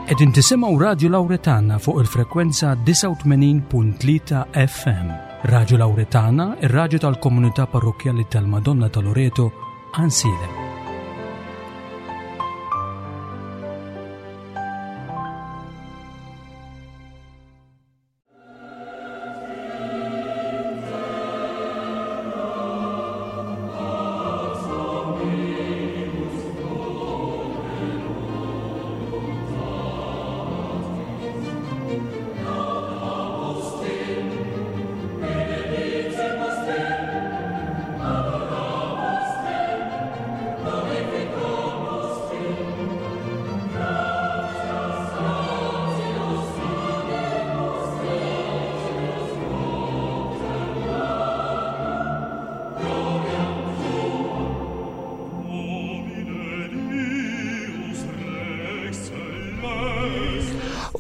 Qegħdin tisimgħu Radju Lawretana fuq il-frekwenza 89.3 FM. Radju Lawretana, ir-radju tal-komunità parrokkjali tal-Madonna ta' Loreto, Ansilem.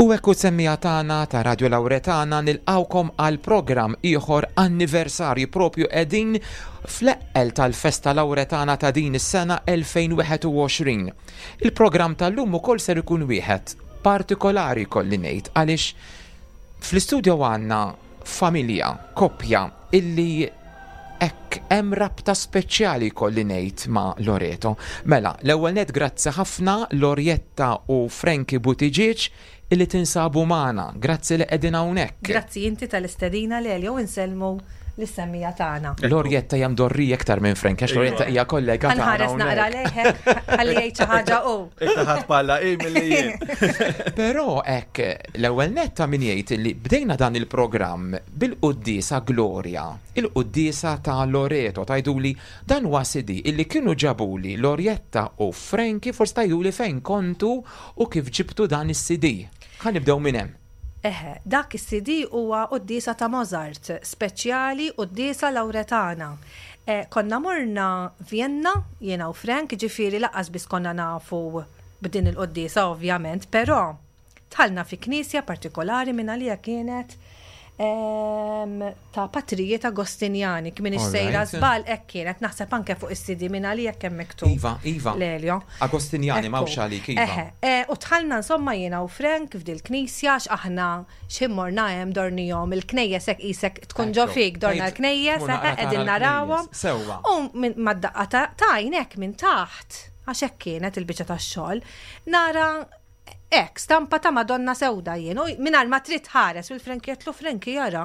U hekk semmija tagħna ta' Radio Lauretana nilqawkom għal programm ieħor anniversarju propju qegħdin fl-eqqel tal-festa Lauretana ta' din is-sena 2021. Il-programm tal-lum ukoll ser ikun wieħed partikolari kolli ngħid għaliex fl-istudio għandna familja, koppja illi hekk hemm rabta speċjali kolli ngħid ma' Loreto. Mela, l-ewwel net grazzi ħafna Lorjetta u Frankie Buttigieg illi tinsabu magħna. Grazzi li qegħdin hawnhekk. Grazzi inti tal-istedina Lelio u nsellmu lis-semmija tagħna. Lorjetta hija mdorrija iktar minn Frank, għax Lorjetta hija kollega tagħna. Ħanħares naqra lejhek ħalli jgħid xi ħaġa hu. Iktar ħadd palla hi milli jien. Però hekk l-ewwel nett ta' min jgħid li bdejna dan il-programm bil-quddiesa Gloria, il-quddiesa ta' Loreto, tgħiduli dan huwa CD illi kienu ġabuli Lorjetta u Frankie, forsi tgħiduli fejn kontu U kif ġibtu dan is-CD? Ħa nibdew minn hemm. Eħe, dak is-CD huwa quddiesa ta' Mozart, speċjali quddiesa Lawretana. Konna morna Vienna, jiena u Frank, ġifieri lanqas biss konna nafu b'din il-quddiesa ovvjament, però dħalna fi knisja partikolari mingħalija kienet ta' patrijiet Agostinjani, kif m'iniex sejra żball hekk kienet, naħseb anke fuq is-CD minn għalija kemm miktub. Iva, iva. Lelio. Agostinjani m'hawnx għalik, iva. Eħe, e, u dħalna insomma jiena u Frank f'dil knisja għax aħna x'ħin morna hemm dornihom il-knejjes hekk qisek tkun ġo fik dorna l-knejjes, eħe qegħdin narawhom. Sewwa. U mad-daqqa ta' għajnek minn taħt, għax hekk kienet il-biċċa tax-xogħol, nara Hekk, stampa ta' Madonna sewda jien, u mingħajr ma trid tħares, u l-Frankie għedtlu Frankie ara.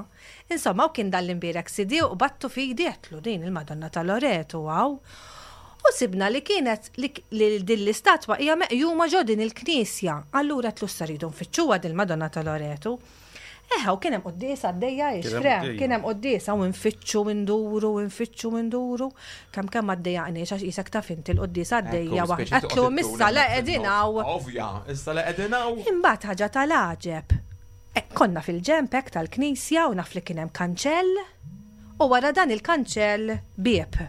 Insomma, u kien dan l-imbierek CD u qbadtu f'idi għedtlu din il-Madonna ta' Loreto hawn. U sibna li kienet li din l-istatwa hija meqjuma ġo din il-knisja. Allura għedtlu issa rridu nfittxuha din il-Madonna ta' Loreto. Eħe, u kien hemm quddiesa għaddejja ix, Fre, kien hemm quddiesa u nfittxu nduru, nfittxu nduru. Kemm kemm ma ddejjaqniex għax qisek taf inti l-quddiesa għaddejja waħda. Għedtlu issa le qegħdin hawn. Ovvja, issa le qegħdin hawn. Imbagħad ħaġa tal-għaġeb. Eh, konna fil-ġenb hekk tal-knisja u naf li kien hemm kanċell u wara dan il-kanċell bieb.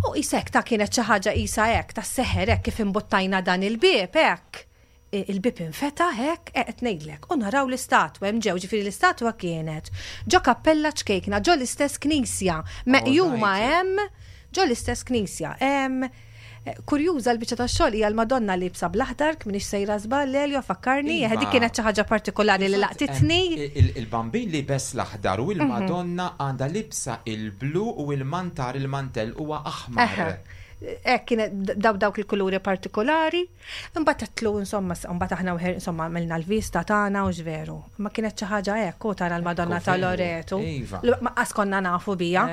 U qisek ta' kienet xi ħaġa qisha hekk tas-seħer hekk kif imbuttajna dan il-bieb hekk. Il-bieb infetaħ hekk, eh, qed ngħidlek, u naraw l-istatwa hemm ġew, ġifieri l-istatwa kienet ġo kappella ċkejkna, ġo l-istess knisja, meqjuma hemm ġo l-istess knisja. Kurjuża l-biċċa tax-xogħol hija l-Madonna liebsa bl-aħdar, m'iniex sejra żball, Lelio fakkarni, eħe dik kienet xi ħaġa partikolari li laqtitni. Il-Bambin liebes l-aħdar u l-Madonna għandha libsa il-blu u l-mantar il-mantell huwa aħmar. Hekk kienet daw dawk il-kuluri partikolari. Imbagħad għedtlu insomma, imbagħad aħna wħer insomma għamilna l-vista tagħna u x'veru. Ma kienet xi ħaġa hekk u tara l-Madonna ta' Loreto. Iva. Ma qas konna nafu bija.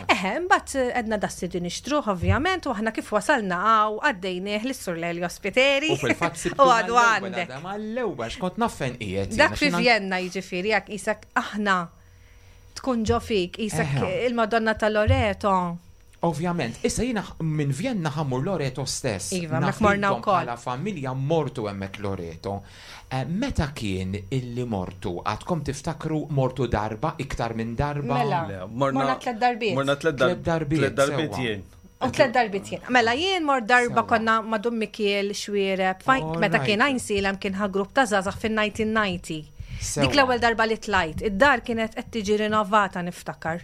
Eħe, imbagħad għedna dassi din nixtruh ovvjament u aħna kif wasalna hawn għaddejnieh lis-Sur Lelio Spiteri. U fil-fatt sibtu. U għadu għandek. Mal-ewwel x'kont naf fejn qiegħed. Dak fi Vienna jiġifieri jekk qisek aħna tkun ġo fik, qisek il-Madonna ta' Loreto. Ovvjament, issa jiena minn Vienna ħa mmur Loreto stess. Iva, hemmhekk morna wkoll. Bħala familja mortu hemmhekk Loreto. Meta kien illi mortu? Għadkom tiftakru mortu darba, iktar minn darba? Mela, morna tlett darbiet. Morna tlett darbiet. Tlett darbiet jien. U tlett darbiet jien. Mela jien mort darba konna ma' Dun Mikiel Xwiereb, meta kien Għajnsielem kien ħa grupp ta' żgħażagħ fin-1990. Dik l-ewwel darba li tlajt. Id-dar kienet qed tiġi rinnovata niftakar.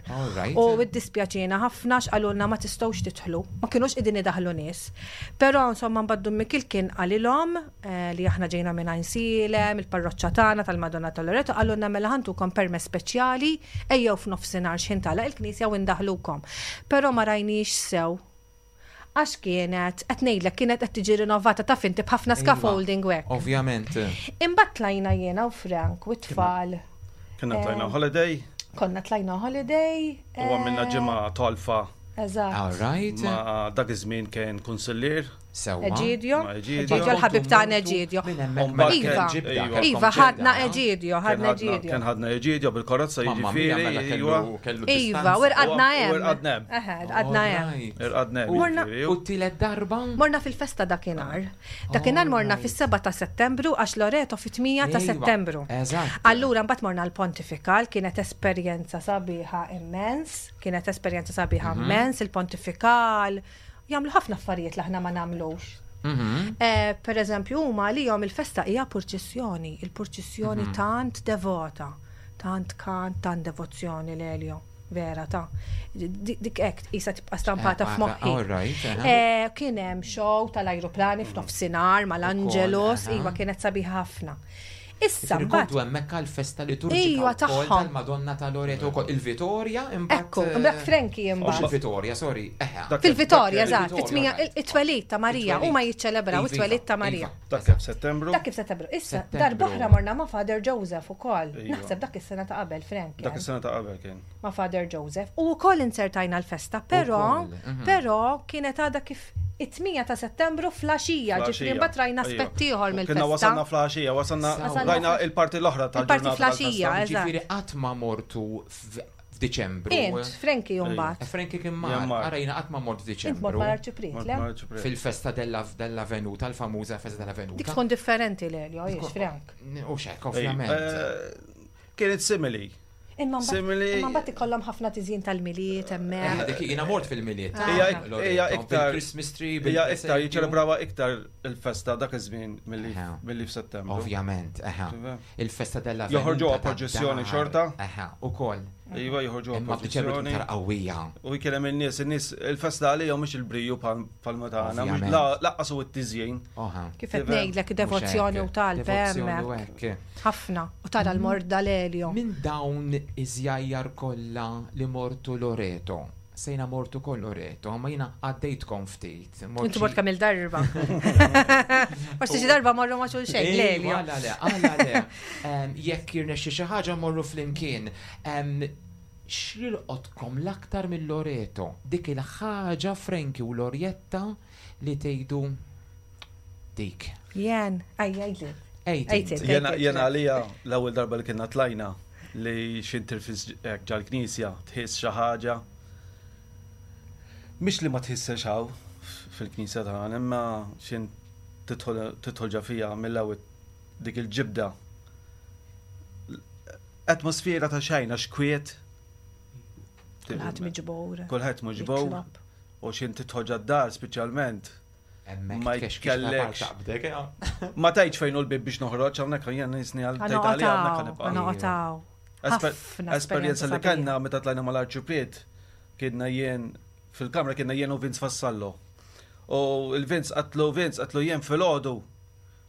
U iddispjaċiena ħafna x'qalulna ma tistgħux tidħlu. Ma kinux qegħdin idaħħlu nies. Però insomma mbagħad Dun Mikil kien qalilhom eh, li aħna ġejna minn Għajnsielem, il-parroċċa tagħna tal-Madonna ta' Loreto, qalulna mela ħantukom permess speċjali ejjew f'nofsinhar x'ħin tagħlaq il-knisja u ndaħlukom. Però ma rajniex sew Għax kienet, qed ngħidlek, kienet qed tiġi rinnovata taf inti b'ħafna scaffolding u hekk. Ovvjament. Imbagħad tlajna jiena u Frank u t-tfal. Konna tlajna holiday. Konna tlajna holiday. U għamilna ġimgħa tolfa. Eżatt. All right. Ma dak iż-żmien kien kunsillier. Sewwa. Eġidio. Ma' Eġidio. Eġidio l-ħabib tagħna Eġidio. Minn hemmhekk mela Iva. ġibda, kellkom Iva, ħadna ġibda. Eġidio, ħadna Eġidio. Kien ħadna Eġidio bil-karozza Mamma mia, jiġifieri. mela iva. kellu kellu Iva, distanza. u rqadna U hemm. rqadna hemm. Eħe, rqadna hemm. Alright. Irqadna hemm. Morna- jiġifieri. U t-tielet darba? Morna fil-festa dakinhar. Dakinhar morna fis-7 ta' Settembru għax Loreto fit-8 ta' Iva, Settembru. eżatt. Allura mbagħad morna l-Pontifikal, kienet esperjenza sabiħa immens, kienet esperjenza sabiħa immens, il-Pontifikal. Jagħmlu ħafna affarijiet li aħna ma nagħmlux. Eh, per eżempju, huma għalihom il-festa hija purċissjoni, il-purċissjoni tant devota, tant kant, tant devozzjoni l-Elio. Vera ta' dik hekk qisha tibqa' stampata Eh, f'moħħi. all right, aha. Eh, Kien hemm show tal-ajruplani f'nofsinhar mal-Angelus, Ukoll, aha. iva kienet sabiħa ħafna. Issa Ġifieri mbagħad kontu hemmhekk għall-festa liturġika Iva, wkoll tagħhom. tal-Madonna ta' Loreto wkoll il-Vitorja imbagħad. Ekku, imbagħad Frankie Mhux imbagħad. il-Vitorja, sorry. Eħe. Dak- Fil-Vitorja, dak- eżatt, il-Vitorja, fit-tmija right. it-twelid ta' Marija, It-twelid. huma jiċċelebraw Iva, it-twelid ta' Marija. iva. Dak kif Settembru. Dak kif Settembru. Issa, Settembru. darb'oħra morna ma' Father Joseph ukoll. Iva. Naħseb dak is-sena ta' qabel, Frank. Dak is-sena ta' qabel kien. ma' Father Joseph. U wkoll insertajna l-festa, però Ukoll, mhm. però kienet għadha kif it-8 ta' Settembru flaxija, ġifieri mbagħad rajna Iva. aspett ieħor Kien mill-festa. wasalna flaxija, wasalna Wasalna rajna fl- il-parti l-oħra Il-parti tal-ġurnata. flaxija, tal-festa. eżatt. Ġifieri qatt ma mortu f'Diċembru. Int, Frankie mbagħad. Eh, Frankie kien Jien mar, mar. ara jiena qatt ma mort Int mort f'Diċembru. mal-Arċipriet, Mort le? mal-Arċipriet. Fil-festa della della Venuta, l-famuża festa della Venuta. Dik tkun differenti l-Elio, jiex, Frank. U xek, Ej, ovvjament. eh, Kienet simili. Imma mbagħad Simili- imma mbagħad ikollhom ħafna tiżjin tal-miliet Eh, hemmhekk. Dik jiena mort fil-miliet. Ah. Hija Loreto, hija iktar Bil-Christmas tree, Hija iktar bil-presepju. jiċċelebrawha iktar il-festa dak iż-żmien milli Aha. milli f'Settembru. Ovvjament, eħe. Tifhem? Il-festa della Joħorġuha Venuta ta' proċessjoni dar. xorta. Eħe, ukoll. Iva joħorġuha Imma f'Diċembru tkun proċessjoni. iktar qawwija. U jkien hemm in-nies, in-nies il-festa għalihom mhux il-briju bħal tagħna, mhux Ovvjament. la- laqqas u t-tiżjin. Oħa. Kif qed Tifhem? ngħidlek devozzjoni u talb Devozzjoni u hemmhekk. hekk. Ħafna. U tara l-morda l-Elio. Minn dawn iż-żjajjar kollha li mortu Loreto. Sejna mortu koll Loreto, ma jiena għaddejtkom ftit. Mort Intu xi- mort kemm il-darba. Forsi xi darba morru ma' xulxejn, Ejwa, l-Elio. Għala le, għala le. Em, Jekk jirnexxi xi ħaġa morru flimkien. Em, X'jilqotkom l-aktar mill-Loreto? Dik il-ħaġa Franki u Lorjetta li tgħidu dik. Jen, aj, għajli. Ejt. Ejt int. int. Jena jena għalija l-ewwel darba li kienna tlajna li xintirfis hekk ġal-knisja tħiss xi ħaġa. Mhix li ma tħissex hawn fil-knisja tagħna, imma xin tidħol tidħol ġa fija mill-ewwel dik il-ġibda. Atmosfera ta' xejn għax kwiet. Kulħadd miġbur. Kulħadd miġbur Jitlob. u xin tidħol ġad-dar speċjalment. Hemmhekk Ma tkexkix la jkellekx. taqbdek, ja. Ma tgħidx fejn hu l-bib biex noħroġ hawnhekk jien nisni għal tgħid għalija hawnhekk Għanoqotaw, ħanibqa'. għanoqotaw. Ħafna Esperjenza li sabiħa. kellna meta tlajna mal-Arċipriet kienna jien fil-kamra kienna jien u Vince Fassallo. U il-Vince qatlu Vince qatlu jien fil-għodu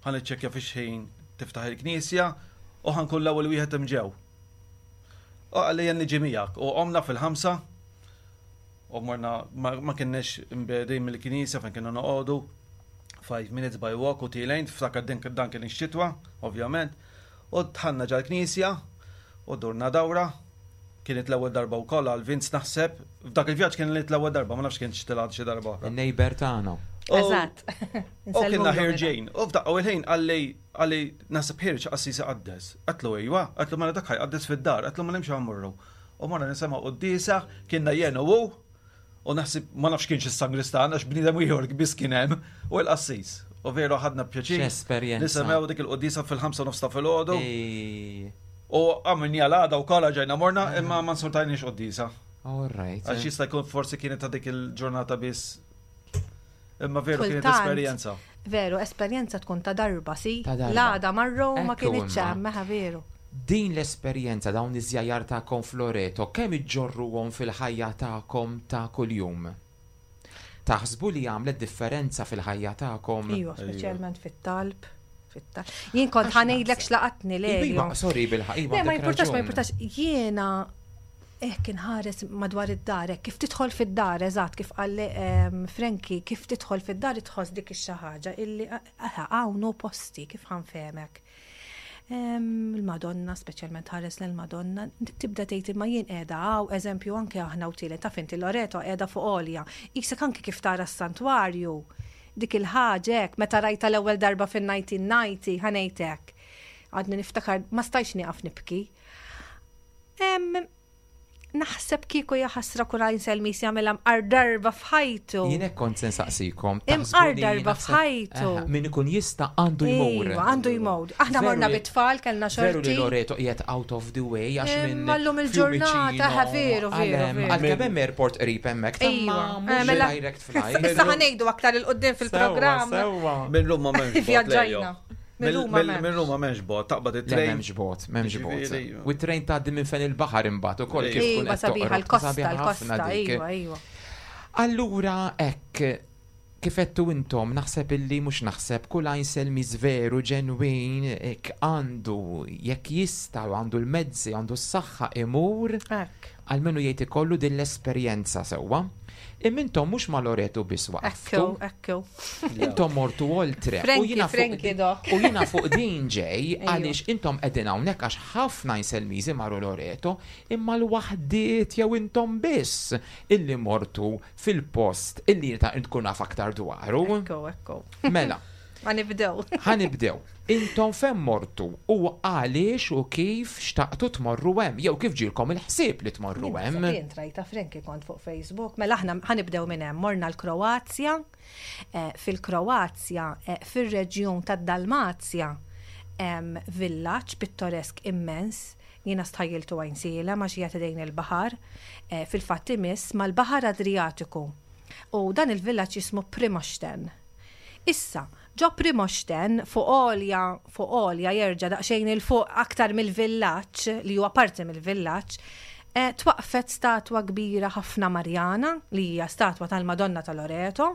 ħan iċċekkja fi xħin tiftaħ il-knisja u ħankun l-ewwel wieħed imġew. U qalli jien niġi miegħek u qomna fil-ħamsa u morna ma ma kienniex imbedin mill-knisja fejn kienna noqogħdu. 5 minutes by walk u tilejn, ftakar din dan kien ix-xitwa, ovvjament. U dħalna ġal-knisja u durna dawra. Kienet l-ewwel darba wkoll għal Vince naħseb. F'dak il-vjaġġ kienet l-ewwel darba, ma nafx kien xtilgħat xi darba oħra. Il-neighbor tagħna. U- Eżatt. U kienna ħirġejn. U f'daqqa u il-ħin għalli għalli naħseb ħirġ qassis iqaddes. Qatlu ejwa, qatlu mela dak ħajqaddes fid-dar, qatlu ma nimx ħammurru. U morna nisimgħu qudiesa, kienna jien u hu, u naħseb ma nafx kienx is-sangristan għax bniedem ieħor biss kien hemm u l-qassis. U veru ħadna pjaċir. X'esperjenza. Nisimgħu dik il-qudiesa fil-5 nofs ta' filgħodu. Ej, U għamilni għal-għada u kolla ġejna morna, imma ma nsortajniex qoddisa. All right. Għax jista' jkun forsi kienet ta' dik il-ġurnata biss. Imma veru kienet Kultant. esperjenza. Veru, esperjenza tkun ta' darba, si. Ta' darba. L-għada marru ma Ekku kienitx imma. hemm, meħa veru. Din l-esperjenza, dawn iż-żjajjar tagħkom f'Loreto, kemm iġġorruhom fil-ħajja tagħkom ta' kuljum? Taħsbu li għamlet differenza fil-ħajja tagħkom? Iva, speċjalment fit-talb. Fit-talb. Jien kont ħa ngħidlek x'laqatni le. Iva, sorry bil-ħaq, iva. Ma jimpurtax, ma jimpurtax. Jiena hekk inħares madwar id-dar, hekk kif tidħol fid-dar, eżatt kif qal ehm, Frankie, kif tidħol fid-dar tħoss dik ix-xi ħaġa illi hawn hu posti kif ħanfehmek. Il-Madonna, speċjalment ħares l-Madonna, tibda tgħid imma jien qiegħda hawn, eżempju anke aħna u tielet taf inti Loreto qiegħda fuq għolja. Isek anke kif tara s-santwarju, dik il-ħaġa hekk, meta rajta l-ewwel darba fin-1990, ħa ngħid hekk. Għadni niftakar, ma stajtx nieqaf nibki. Naħseb kieku jaħasra kull għajn selmis jagħmilha mqar darba f'ħajtu. Jien hekk kont se nsaqsikom. Imqar darba f'ħajtu. Min ikun jista' għandu jmur. Iva, għandu jmur. Aħna morna bit-tfal kellna xorti. Veru li Loreto qiegħed out of the way għax minn. Mallum il-ġurnata, veru, veru. Għalkemm hemm airport qrib hemmhekk. Iva. Eh, mela- direct flight. Issa ħanejdu aktar il-qudiem fil-programm. Minn Ruma m'hemmx. Vjaġġajna. Minn Ruma m'hemmx bot, taqbad it-trejn. M'hemmx bot, m'hemmx bot. U t-trejn tgħaddi minn fejn il-baħar imbagħad ukoll kif tkun qed sabiħa l-kosta, l-kosta, iva, iva. Allura hekk kif għedtu intom naħseb illi mhux naħseb kull għajnselmiż veru ġenwin hekk għandu jekk jista' u għandu l-mezzi għandu s-saħħa imur Almenu jgħid ikollu din l-esperjenza sewwa. Imma intom mhux ma' Loreto biss waqaftu. Ekku, ekku. Intom mortu oltre. Frankie, Frankie dok. U jiena fuq din ġej għaliex intom qegħdin hawnhekk għax ħafna Inselmiżi marru Loreto imma l-waħdiet jew intom biss illi mortu fil-post illi jiena tkun naf aktar dwaru. Ekku, ekku. Mela. Ħa nibdew. Ħa nibdew. Intom fejn mortu u għaliex u kif xtaqtu tmorru hemm jew kif ġielkom il-ħsieb li tmorru hemm? Jien trajta Frankie kont fuq Facebook. Mela aħna ħa nibdew minn hemm. Morna l-Kroazja. Eh, fil-Kroazja, eh, fir-reġjun tad-Dalmazja, hemm villaġġ pittoresk immens. Jiena stħajjiltu Għajnsielem għax qiegħed idejn il-baħar. Eh, fil-fatt imiss mal-Baħar Adrijatiku. U dan il-villaġġ jismu Primošten. Issa, ġo Primošten, fuq għolja, fuq għolja jerġa' daqsxejn 'il fuq aktar mill-villaġġ, li huwa parti mill-villaġġ, twaqqfet statwa kbira ħafna Marjana, li hija statwa tal-Madonna ta' Loreto.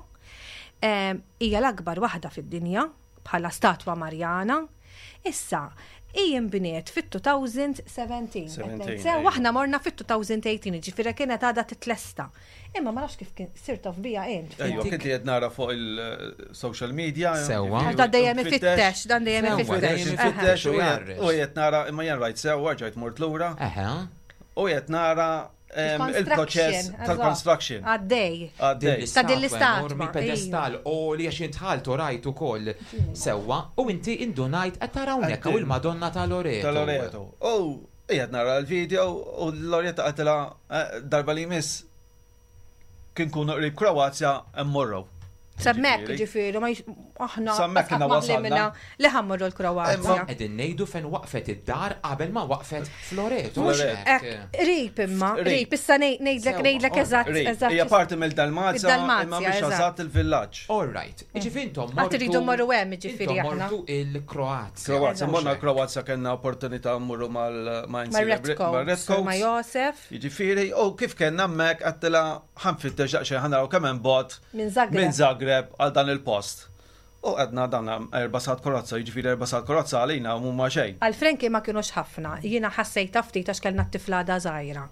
Hija l-akbar waħda fid-dinja bħala statwa Marjana. Issa, hi nbniet fit-2017. Sew aħna morna fit-2018, ġifieri kienet għadha titlesta. Imma ma nafx kif kien sirt taf bija int. Ejwa, kien li qed nara fuq il-social media. Sewwa. Dan dejjem ifittex, dan dejjem ifittex. Ifittex u qed nara imma jien rajt sewwa ġajt mort lura. U qed nara il-proċess tal-construction. Għaddej. Għaddej. Ta' din l-istatwa. Enormi pedestal u li għax intħalt u rajt ukoll sewwa u inti indunajt qed tara hawnhekk hawn il-Madonna ta' Loreto. Ta' Loreto. U qiegħed nara l-video u Loretta qaltilha eh, darba li jmiss kien kunu qrib Kroazja mmorru. Semmek, ġifieri, ma aħna. Semmek kienna wasalna. Li ħammorru l-Kroazja. Qegħdin ngħidu fejn waqfet id-dar qabel ma waqfet Floreto. Qrib imma, qrib, issa ngħidlek ngħidlek eżatt. Eżatt. Hija parti mill-Dalmazja, imma mhix eżatt il-villaġġ. All right. Ġifieri intom mortu. Tridu morru hemm ġifieri aħna. Mortu il-Kroazja. Kroazja, morna l-Kroazja kellna opportunità mmorru mal ma' Redcoats. Ma' Josef. Jiġifieri, u kif kellna hemmhekk għedtilha ħa nfittex daqsxejn ħa naraw kemm hemm bogħod Minn Zagreb. Minn Zagreb għal dan il-post. U għedna dan erba' sigħat karozza, jiġifieri erba' sigħat karozza għalina mhuma xejn. Għal Frankie ma kinux ħafna, jiena ħassejtha ftit għax kellna t-tifla għadha żgħira.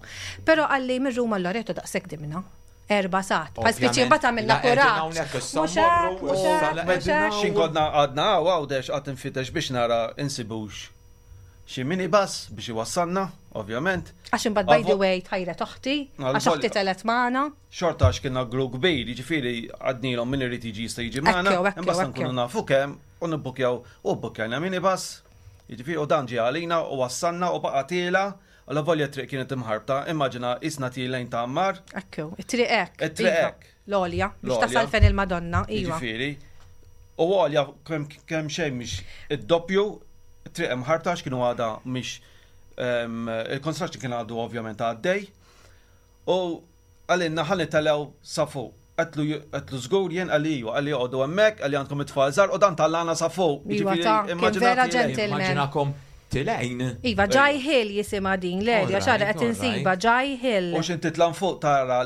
Però qalli minn Ruma l-Loreto daqshekk dimna. Erba' sigħat. Bħal spiċċi mbagħad għamilna kuraġġ. Mhux hekk, mhux hekk, mhux hekk. X'in konna għadna hawn Għawdex qatt infittex biex nara insibux xi minibus biex iwassalna, ovvjament. Għax imbagħad by the way tħajret oħti, għax oħti telgħet magħna. Xorta għax kienna grupp kbir, jiġifieri għadnilhom min irid jiġi jista' jiġi magħna, imbagħad nkunu nafu kemm u nibbukkjaw u bbukkjajna minibus, jiġifieri u dan ġie għalina u wassalna u baqa' tiela' allavolja t-triq kienet imħarbta, immaġina qisna tielgħin ta' Għammar. Ekku, it-triq hekk. It-triq hekk. L-għolja, biex tasal fejn il-Madonna, iva. Jiġifieri, u għolja kemm xejn mhix id-doppju, it-triq imħarbta għax kienu għadha mhix il-construction kien għadu ovvjament għaddej. U qalilna ħa nitelgħu sa fuq. Għedtlu għedtlu żgur jien qalli iva, qalli oqogħdu hemmhekk, qalli għandkom it-tfal żgħar u dan tellagħna sa fuq. Iva ta, kien vera gentleman. Immaġinakom. Tilgħin. Iva, Jai Hill jisimha din l-erja, xara qed insiba Jai Hill. U x'int titla' fuq tara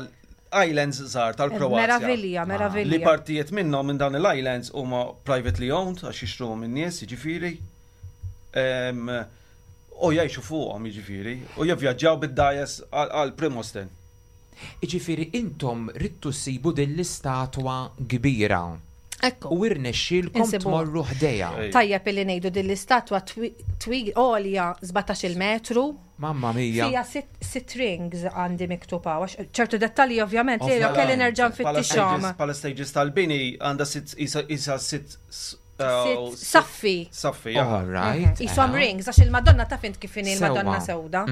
islands żgħar tal-Kroazja. Meravilja, meravilja. Li partijiet minnhom minn dawn il-islands huma privately owned għax jixtruhom in-nies, jiġifieri. U jgħixu fuqhom jiġifieri u jivvjaġġaw bid-dgħajjes għal Primosten. Jiġifieri intom ridtu ssibu din l-istatwa kbira. Ekku. U irnexxielkom tmorru ħdejha. Tajjeb illi ngħidu din l-istatwa twil għolja 17-il metru. Mamma mia. Fija sitt rings għandi miktub hawn, għax ċertu dettalji ovvjament li kelli nerġa' nfittixhom. Bħala stages tal-bini għandha sitt isa sitt Saffi. Saffi, All right. Isom rings, għax il-Madonna taf int kif inhi l-Madonna sewda.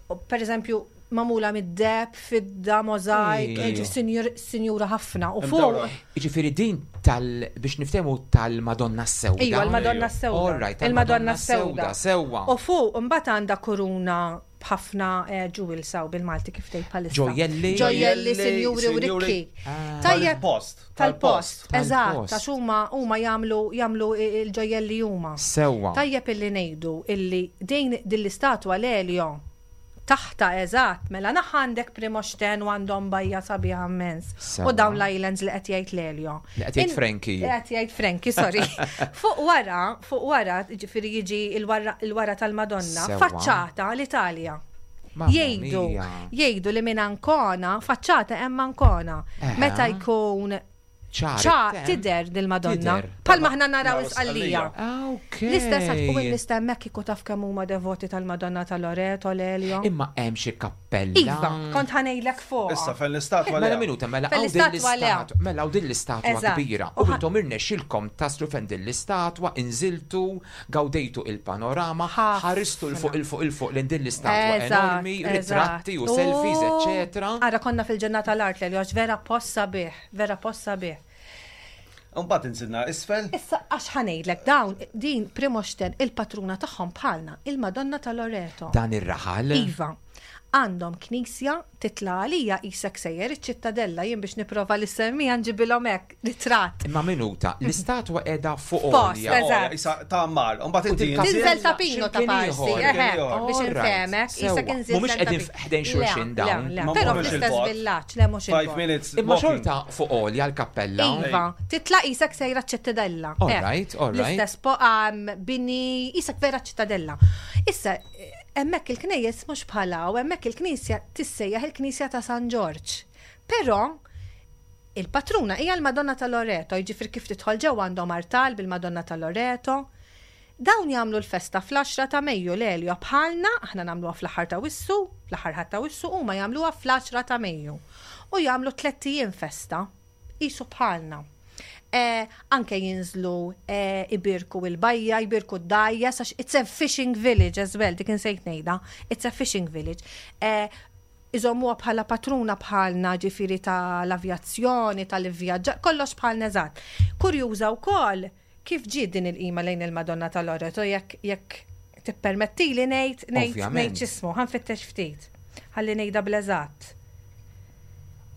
Per eżempju, magħmula mid-deheb, fidda, mozaik, sinjura ħafna. U fuq. Jiġifieri din tal biex niftehmu tal-Madonna s-Sewda. Iva, l-Madonna s-Sewda. All right, il-Madonna s-Sewda. Sewwa. U fuq imbagħad għandha kuruna b'ħafna jewels hawn bil-Malti kif tgħid bħalissa. Ġojjelli. Ġojjelli, sinjuri u rikki. Ah. Tajjeb. Tal-post. Tal-post, eżatt, għax huma huma jagħmlu jagħmlu l-ġojjelli huma. Sewwa. Tajjeb illi ngħidu illi din din l-istatwa l-Elio taħtha eżatt, mela naħa għandek Primosten u għandhom bajja sabiħa immens. U dawn l-islands li qed jgħid l-Elio. Li qed jgħid Frankie. Li qed jgħid Frankie, sorry. Fuq wara, fuq wara, ġifieri jiġi il-wara tal-Madonna, faċċata l-Italja. Jgħidu, jgħidu li minn Ancona, faċċata hemm Ancona. Meta jkun ċar tidher dil-Madonna. Palma aħna naraw isqallija. Ah, L-istess u n-nies hemmhekk kieku taf kemm huma devoti tal-Madonna ta' Loreto, l-Elio. Imma hemm xi kappella. Iva, kont ħa ngħidlek fuqha. Issa fejn l-istatwa Mela minuta, mela hawn din l-istatwa, mela hawn din l-istatwa kbira. U intom irnexxilkom taslu fejn din l-istatwa, inżiltu, gawdejtu il-panorama, ħaristu 'l fuq 'il fuq 'il fuq lejn din l-istatwa enormi, ritratti u selfies, eċċetera. Ara konna fil-ġenna tal-art l-Elio, għax vera post sabiħ. Vera post sabiħ. Mbagħad inżilna isfel. Issa għax ħa ngħidlek dawn din Primosten il-patruna tagħhom bħalna, il-Madonna ta' Loreto. Dan ir-raħal? Iva. Għandhom knisja titla' għalija qisek sejjer iċ-Ċittadella jien biex nipprova li semmija nġibilhom hekk ritratt. Imma minuta, l-istatwa qiegħda fuq għolja. Eżatt. Isa ta' mar, u mbagħad inti Tinżel ta' Pino ta' parsi, eħe, biex infehmek, qisek inżilt. Mhumiex qegħdin ħdejn xulxin dawn. Però fl-istess villaġġ, le mhux il-bogħod. minutes. Imma xorta fuq għolja l-kappella. Iva, titla' qisek sejra ċ-Ċittadella. All right, all right. L-istess bini, qisek vera ċ-Ċittadella. Issa, hemmhekk il-knejjes mhux bħal hawn, hemmhekk il-knisja tissejjaħ il-Knisja ta' San Ġorġ. Però il-patruna hija l-Madonna ta' Loreto, jiġifieri kif tidħol ġewwa għandhom artal bil-Madonna ta' Loreto. Dawn jagħmlu l-festa fl-għaxra ta' Mejju l-Elio bħalna, aħna nagħmluha fl-aħħar ta' Wissu, fl-aħħar Ħadd ta' Wissu, huma jagħmluha fl-għaxra ta' Mejju. U jagħmlu tlett ijiem festa, qisu bħalna. Eh, anke jinżlu eh, ibirku il-bajja, jbirku d-dgħajjes, għax it's a fishing village as well, dik insejt ngħidha, it's a fishing village. Eh, iżommuha bħala patruna bħalna ġifieri tal-avjazzjoni, tal-ivvjaġġar, kollox bħalna eżatt. Kurjuża wkoll Kif ġiet din il-qima lejn il-Madonna ta' Loreto jekk jekk tippermettili ngħid ngħid ngħid x'ismu, ħa nfittex ftit. Ħalli ngħidha bl-eżatt.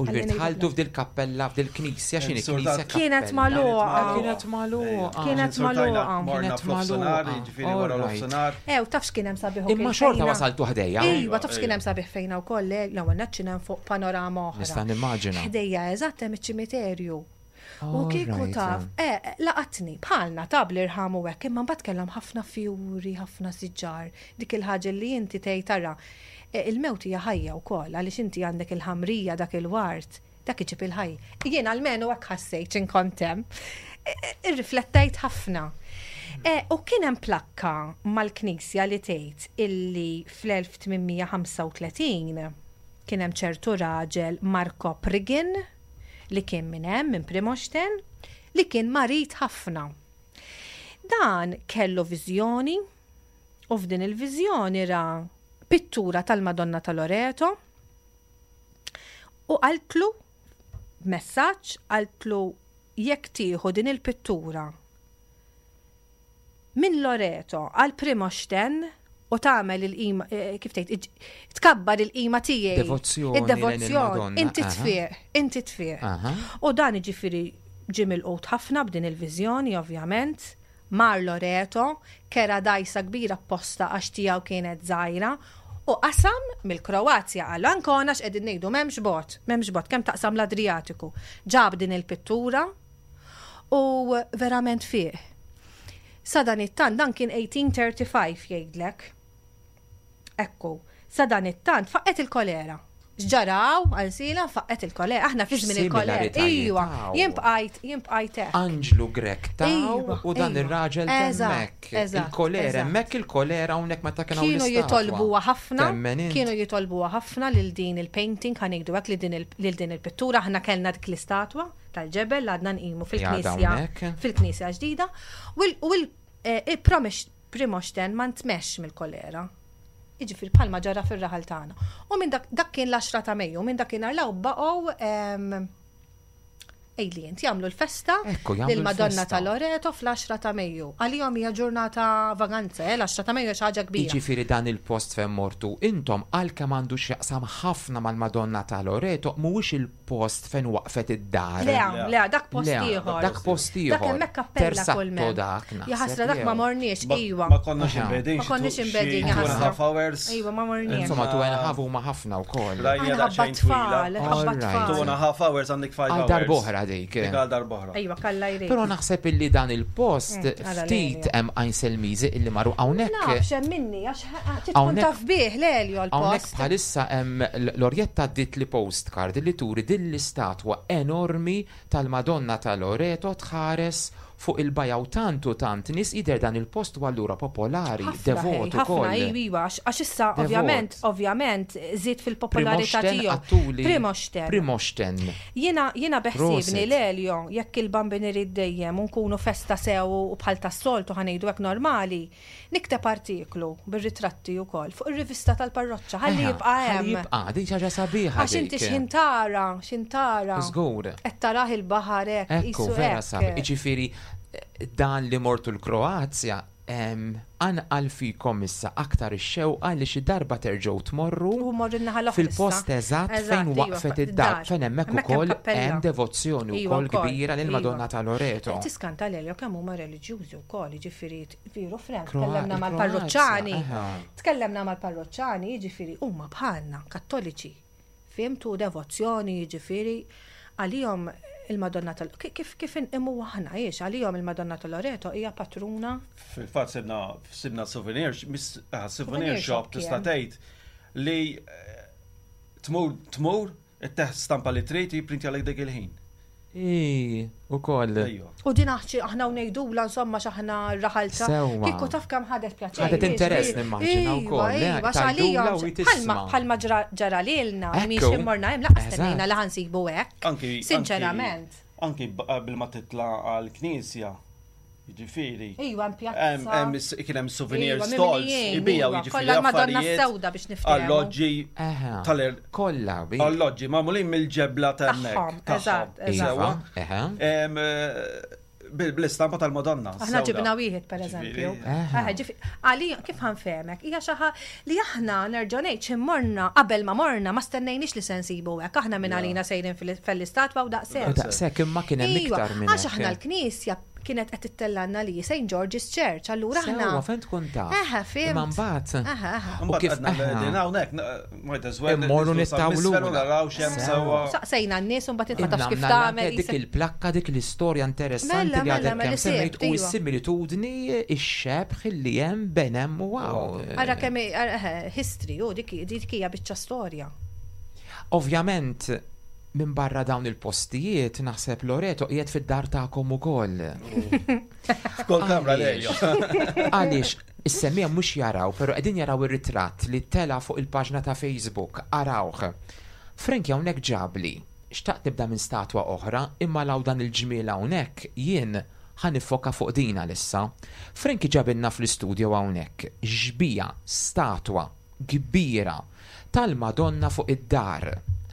U ġbir tħaltu f'dil kappella f'dil knisja x'inhi knisja. Kienet magħluqa. Kienet magħluqa. Kienet magħluqa. Kienet magħluqa. Ġifieri wara l-ofsinhar. Ew, taf x'kien hemm sabiħ Imma xorta wasaltu ħdejja. Iva, taf x'kien hemm sabiħ fejna wkoll, l-ewwel nett x'inhemm fuq panorama oħra. Nista' nimmaġina. Ħdejja eżatt hemm iċ-ċimiterju. U kieku taf, eh, laqatni, bħalna ta' bl-irħam u hekk, imma mbagħad kellhom ħafna fjuri, ħafna siġar, dik il-ħaġa li inti tgħid tara. Eh, il-mewt hija ħajja wkoll għaliex inti għandek il-ħamrija dak il-wart, dak iġib il-ħajja. Jien almenu hekk ħassejt x'inkont hemm. Eh, eh, irriflettejt ħafna. U kien hemm plakka mal-knisja li tgħid illi fl-1835 kien hemm ċertu raġel Marko Prigin li kien minn hemm, minn Primosten, li kien marid ħafna. Dan kellu viżjoni u f'din il-viżjoni ra pittura tal-Madonna ta' Loreto u qaltlu b'messaġġ qaltlu jekk tieħu din il-pittura minn Loreto għal Primosten u tagħmel il-qima, eh, kif tgħid, tkabbar il-qima tiegħi. Devozzjoni. Id-devozzjoni. Inti tfiq, inti tfiq. U dan jiġifieri ġie milqut ħafna b'din il-viżjoni, ovvjament. Mar Loreto, kera dgħajsa kbira apposta għax tiegħu kienet żgħira, u qasam mill-Kroazja għal Ancona x'qegħdin ngħidu m'hemmx bogħod, m'hemmx bogħod kemm taqsam l-Adrijatiku. Ġab din il-pittura u verament fieq. Sadanittant dan kien 1835 jgħidlek. Ekku, sadanittant faqqgħet il-kolera. X'ġara hawn għal Sila faqqgħet il-kolera. Aħna fi żmien il-kolera. Ejwa, jien bqajt, jien bqajt hekk. Anġlu Grech taw u dan ir-raġel t'hemmhekk. Il-kolera hemmhekk, il-kolera hawnhekk meta kien hawn Kienu jitolbuha ħafna, kienu jitolbuha ħafna lil din il-painting, ħa ngħidu hekk, lil din il-pittura. Aħna kellna dik l-istatwa tal-ġebel li għadna nqimu fil-knisja, fil-knisja ġdida. U l-promise Primosten ma ntmexx mill-kolera. Jiġifieri bħalma ġara fir-raħal tagħna. U minn dak dak kien l-għaxra ta' Mejju, minn dakinhar 'l hawn baqgħu għidli int, jagħmlu l-festa lill-Madonna ta' Loreto fl-għaxra ta' Mejju. Għalihom hija ġurnata vaganza, eh, l-għaxra ta' Mejju hija xi ħaġa kbira. Jiġifieri dan il-post fejn mortu intom għalkemm għandu x'jaqsam ħafna mal-Madonna ta' Loreto mhuwiex il post fejn waqfet id-dar. Le, le, dak post ieħor. Dak post ieħor. Dak hemmhekk kappella kull Tersatto dak. Ja ħasra dak ma morniex, iwa. Ma konniex imbegħdin. Ma konniex imbegħdin, ja ħasra. Half hours. Iwa, ma morniex. Insomma, two and a half huma ħafna wkoll. Ħabba tfal, ħabba tfal. Two and a half hours għandek five hours. Għal darb'oħra dik. Dik għal darb'oħra. Iwa, kalla jrid. Però naħseb illi dan il-post mm, ftit hemm Għajnselmiżi illi marru hawnhekk. Nafx hemm minni għax tkun taf bih l-Elio l-post. Hawnhekk bħalissa hemm Lorjetta għaddietli postcard li turi din l-istatwa enormi tal-Madonna ta' Loreto tħares fuq il-bajja u tant u tant nies jidher dan il-post u allura popolari, devot ukoll. Ħafna, iva, iva, għax issa ovvjament, ovvjament żied fil-popolarità tiegħu. Primosten. Primosten. Jiena, jiena beħsiebni l-Elio, jekk il-Bambin irid dejjem u nkunu festa sew u bħal tas-soltu ħa ngħidu hekk normali, Nikteb artiklu bir-ritratti wkoll fuq ir-rivista tal-parroċċa ħalli jibqa' hemm. Ħalli jibqa' din xi ħaġa sabiħa. Għax inti x'ħin tara, x'ħin tara. Żgur. Qed tarah il-baħar hekk. Ekku, vera sabiħ. Jiġifieri dan li mortu l-Kroazja anqal fikom issa aktar ix-xewqa li xi darba terġgħu tmorru fil-post eżatt fejn waqfet id-dar, fejn hemmhekk ukoll hemm devozzjoni wkoll kbira lill-Madonna ta' Loreto. Tiskanta Lelio kemm huma reliġjużi wkoll, jiġifieri Veru Frank, tkellemna mal-parroċċani. Tkellemna mal-parroċċani, jiġifieri huma bħalna, kattoliċi. Fimtu devozzjoni, jiġifieri għalihom il-Madonna tal kif kif inqimu aħna jiex għalihom il-Madonna tal Loreto hija patruna. Fil-fatt sibna sibna souvenir, ah, souvenir shop tista' tgħid li eh, tmur tmur Itteħ stampa li trid u jipprintjalek dak il-ħin. Ii, ukoll. U din aħċi aħna u ngħidula insomma x'aħna r-raħal ta' Sewwa. Kieku taf kemm ħadet pjaċir. Ħadet interess nimmaġina wkoll. Iva, iva, għalija bħalma ġara lilna, miex immorna hemm laqas stennejna li ħansibu hekk. Anki. Sinċerament. Anki qabel ma titla' għall-knisja, Jiġifieri. Iva, hemm pjazza. Hemm kien hemm souvenir stalls ibijaw jiġifieri. Kollha l-Madonna Sewda biex niftehmu. Alloġġi tal Kollha. Alloġġi magħmulin mill-ġebla ta' hemmhekk. Eżatt, eżatt. Bl-istampa tal-Madonna. Aħna ġibna wieħed pereżempju. Għalija kif ħanfehmek, hija xi li aħna nerġa' ngħid xi morna qabel ma morna ma stennejniex li se nsibu hekk. Aħna minn għalina sejrin fil-istatwa u daqshekk. Daqshekk imma kien hemm iktar minn. Għax aħna l-knisja kienet qed ittellgħalna li St. George's Church, allura aħna. Sewwa, fejn tkun taf. Eħe, fhimt. Imma mbagħad. Eħe, eħe. U kif qegħdin hawnhekk, might as well. Immorru nittawlu. Naraw x'hemm sewwa. Saqsejna n-nies u mbagħad int ma tafx kif tagħmel. Dik il-plakka, dik l-istorja interessanti li għadek kemm semmejt u s-similitudni, ix-xebh li hemm bejn hemm u hawn. Ara kemm history, u dik hija biċċa storja. Ovvjament, Minbarra dawn il-postijiet, naħseb Loreto qiegħed fid-dar tagħkom ukoll. F'kull kamra lejja. Għaliex is-semmiegħa mhux jaraw, però qegħdin jaraw ir-ritratt li tela' fuq il-paġna ta' Facebook. Arawh. Frankie hawnhekk ġabli. Xtaqt nibda minn statwa oħra, imma 'l hawn dan il-ġmiel hawnhekk, jien ħa niffoka fuq din għalissa. Frankie ġabilna fl-istudio hawnhekk xbieha, statwa, kbira tal-Madonna fuq id-dar.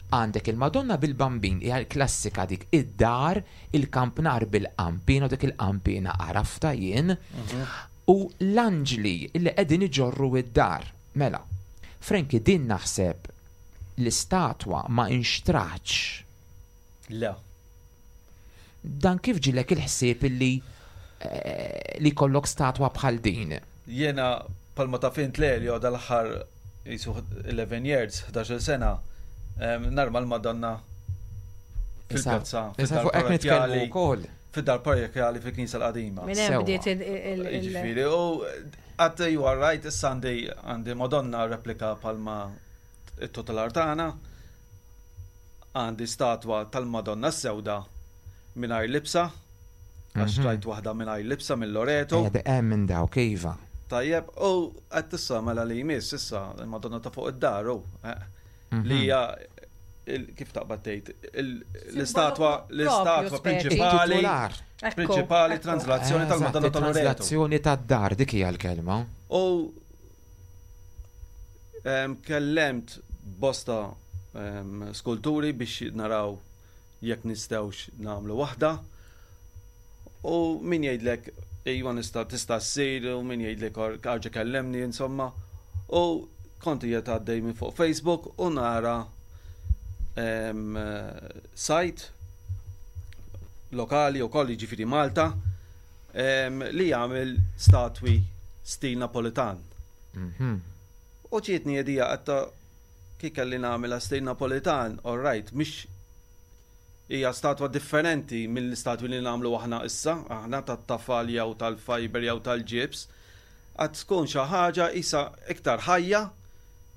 Għandek il-Madonna bil-Bambin, hija l-klassika dik, id-dar, il-kampnar bil-qanpiena u dik il-qanpiena għaraftha jien, u l-anġli li qegħdin iġorru d-dar. Mela, Frankie din naħseb l-istatwa ma inxtratx. Le. Dan kif ġielek il-ħsieb illi li jkollok statwa bħal din? Jiena bħalma taf int Lelio dal-aħħar qisu 11 years, 11-il sena, narma l-Madonna fil-pjazza. Issa fuq hekk nitkellmu wkoll. Fid-dar parrokjali fil-Knisja l-Qadima. Minn hemm bdiet il- Jiġifieri, u għad you are right, issa għandi għandi Madonna replika palma it-tutelar tagħna. Għandi statwa tal-Madonna s-Sewda mingħajr libsa, għax xtrajt waħda mingħajr libsa minn Loreto. Hemm minn dawk, iva. Tajjeb, u qed issa mela li jmiss issa il-Madonna ta' fuq id-dar u li hija kif taqbad tgħid l-istatwa l-istatwa prinċipali prinċipali translazzjoni tal-Madonna ta' Loreto. Translazzjoni tad-dar dik hija l-kelma. U kellemt bosta skulturi biex naraw jekk nistgħux nagħmlu waħda. U min jgħidlek iva nista' tista' ssir u min jgħidlek arġa' kellemni insomma. U kont qiegħed għaddej minn fuq Facebook u nara sajt lokali wkoll jiġifieri Malta li jagħmel statwi stil Napolitan. Mhm. U ġietni idea għatta Kif kelli nagħmilha stil Napolitan, all right, mhix hija statwa differenti mill-istatwi li nagħmlu aħna issa, aħna tat-tafal jew tal-fiber jew tal-ġibs, għad tkun xi ħaġa qisha iktar ħajja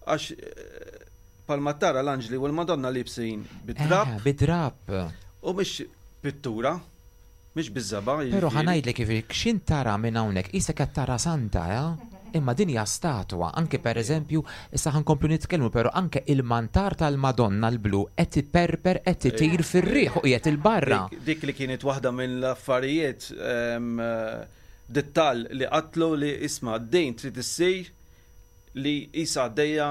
għax bħalma tara l-anġli u l-Madonna liebsin bid-drapp. Eh, bid-drapp. U mhix pittura. Mhix biż-żebgħa, Però jiġifieri. ħa ngħidlek jiġifieri x'int tara minn hawnhekk qisek qed tara santa, eh? Imma din hija statwa, anke pereżempju, issa ħa nkomplu nitkellmu però anke il-mantar tal-Madonna l-blu qed iperper qed itir fir-riħ u qiegħed 'il barra. Dik, dik li kienet waħda mill-affarijiet dettall li qatlu li isma' din trid issir li qisha għaddejja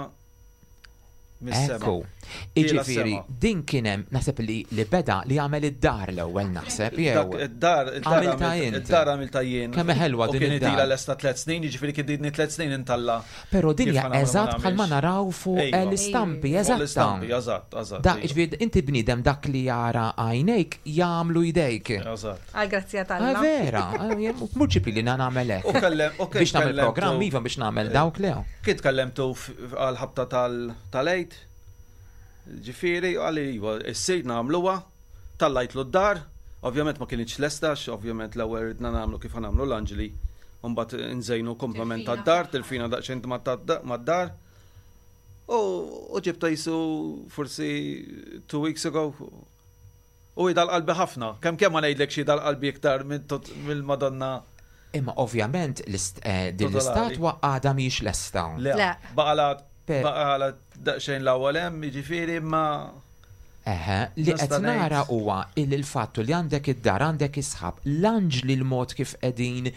mis-sema. Ekku. Jiġifieri din kien hemm naħseb li li beda li għamel id-dar l-ewwel naħseb jew. Id-dar Għamilta int. Id-dar għamilta jien. Kemm ħelwa din id-dar. U kien ilha lesta tliet snin, jiġifieri kien ilni tliet snin intalla. Però din hija eżatt bħalma naraw fuq l-istampi, eżatt. L-istampi, eżatt, eżatt. Da, jiġifieri inti bniedem dak li jara għajnejk jagħmlu jdejk. Eżatt. Għall-grazzja t'Alla. Vera, mhux ġifieri li nagħmel hekk. Biex nagħmel programm iva biex nagħmel dawk le. Kien tkellemtu għall-ħabta tal-Għid, ġifieri, qalli iva, issir nagħmluha, tallajtlu d-dar, ovvjament ma kinitx lesta għax ovvjament l-ewwel ridna nagħmlu kif ħa nagħmlu l-anġli, u mbagħad nżejnu komplement tad-dar, tilfina daqsxejn mad-dar. U ġibtha qisu forsi two weeks ago. U hi dal-qalbi ħafna. Kemm kemm ma ngħidlekx hi dal-qalbi iktar mill-Madonna. Imma ovvjament eh, din l-istatwa għadha mhijiex lesta. Le, baqala baqala daqsxejn l-ewwel hemm, jiġifieri imma Eħe, li qed nara huwa il il-fattu li għandek id-dar, għandek isħab, l-anġli l-mod kif qegħdin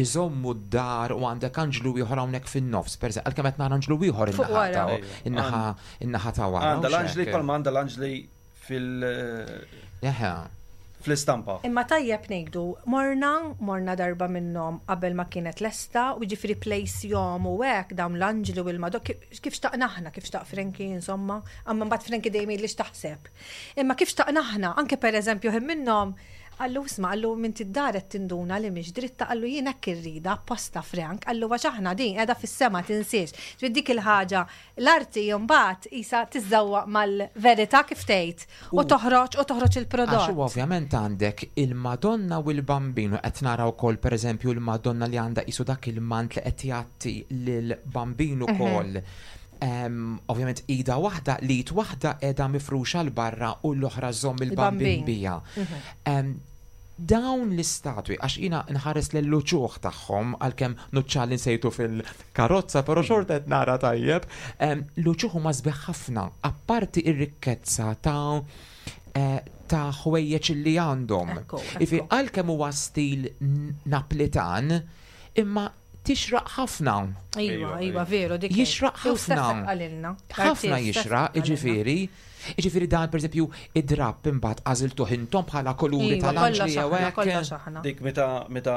iżommu d-dar u għandek anġlu ieħor hawnhekk fin-nofs, pereżempju, għalkemm qed nara anġlu ieħor in-naħa in-naħa ta' wara. Għandha l-anġli bħalma għandha l-anġli fil- Eħe. fl-istampa. Imma tajjeb ngħidu, morna, morna darba minnhom qabel ma kienet lesta, u jiġifieri place jom u hekk dawn l-anġli u l-Madonna, kif xtaqna aħna, kif xtaq Frankie insomma, amma mbagħad Frankie dejjem jgħidli x'taħseb. Imma kif xtaqna aħna, anke pereżempju ħin minnhom qallu isma' qallu m'inti d-dar qed tinduna li mhix dritta qallu jien hekk irridha apposta Frank, qallu għax aħna din qiegħda fis-sema tinsiex. Ġifieri dik il-ħaġa L-arti mbagħad qisha tiżżewwaq mal-verità kif tgħid u toħroġ u toħroġ il-prodott. Għax u ovvjament għandek il-Madonna u l-Bambin u qed nara wkoll pereżempju l-Madonna li għandha qisu dak il-mant li qed jgħatti lill-Bambin ukoll. Ovvjament ida waħda, l-id waħda qiegħda mifruxa 'l barra u l-oħra żżomm il-Bambin biha. Dawn l-istatwi, għax jiena nħares lill-uċuħ tagħhom, għalkemm nuċċali nsejtu fil-karozza, però xorta qed nara tajjeb, l-uċuħ huma sbieħ ħafna, apparti r-rikkezza ta' eh, ta' ħwejjeġ li għandhom. Ifi għalkemm huwa stil Naplitan, imma tixraq ħafna. Iva, iva, veru, dik. Jixraq ħafna. Ħafna jixraq, jiġifieri. Jiġifieri dan pereżempju id-drapp imbagħad għażiltuh intom bħala kuluri iva, tal-anġli jew hekk. Dik meta meta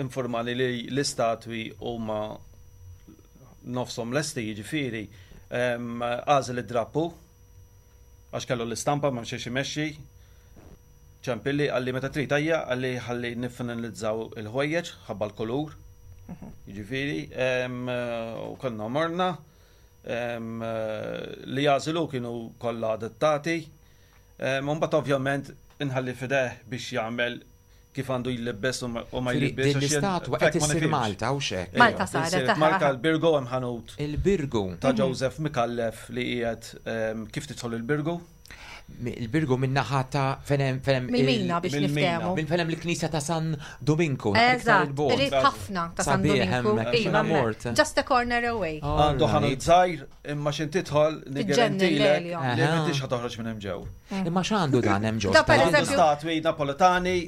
informani li l-istatwi huma nofshom lesti jiġifieri għażel id-drappu għax kellu l-istampa ma xiex imexxi. Ċempilli qalli meta trid ejja, qalli ħalli niffinalizzaw il-ħwejjeġ ħabba l-kulur. Jiġifieri, u konna morna li jagħżlu kienu kollha adattati. U mbagħad ovvjament inħalli f'idejh biex jagħmel kif għandu jlibbes u ma jlibbes. Din l-istatwa qed issir Malta u xek. Malta saret. Malta l-Birgu hemm ħanut. Il-Birgu. Ta' Joseph Micallef li qiegħed kif tidħol il-Birgu. Il-Birgu minn naħa ta' fenem fenem. Mill-Mina biex niftehmu. Minn fenem l-Knisja ta' San Dominku. Eżatt, qrib ħafna ta' San Dominku. Iva, mort. Just a corner away. Għandu ħanut żgħir imma x'in tidħol niggarantilek li m'intix ħa toħroġ minn hemm ġew. Imma x'għandu dan hemm ġew? Għandu statwi Napoletani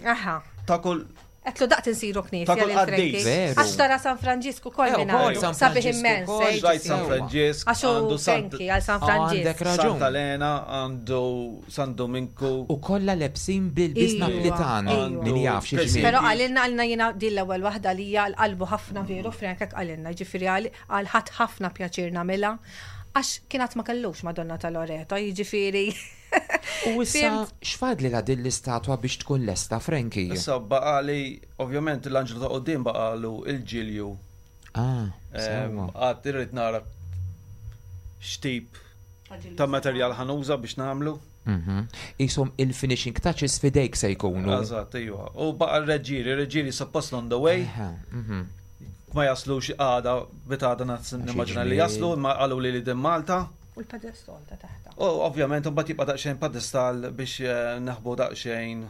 ta' kull Għedtlu daqt insiru knisja Ta' kull lil Frankie. qaddis. Veru. Għax tara San Franġisku ukoll Eh, minn ukoll għandu. San Sabiħ Franġisku immens. ukoll. eh, Rajt San ġifieri. Franġisk, Għax hu għandu Sant Frankie għal San Oh, għandek Franġisk. raġun. Santa Elena, għandu San Dominku. U kollha lebsin bil-bis Iva, Napolitan. iva. Min jaf xi Għandu ġmiel. Però qalilna qalilna jiena din l-ewwel waħda li hija qalbu ħafna veru Frank hekk qalilna, jiġifieri għal għal ħadd ħafna pjaċir nagħmilha għax kien għad ma kellux Madonna ta' Loreto, jiġifieri. U issa Fimt? x'fadli la din l-istatwa biex tkun lesta, Frankie? Issa baqali, ovvjament l-anġlu ta' qoddim baqalu il-ġilju. Ah, sewwa. Għad irrid nara x'tip ta' materjal ħanuża biex nagħmlu. Isom il-finishing touches fidejk se jkunu. Eżatt, iva. U baqa r-reġġieri, ir-reġġieri suppost on the way. Aha, Ma jaslux għada, bitada nimmaġina li jaslu, ma qalu li li din Malta. U l-pedestal ta' taħta. U ovvjament mbagħad jibqa' daqsxejn pedestal biex naħbu daqsxejn.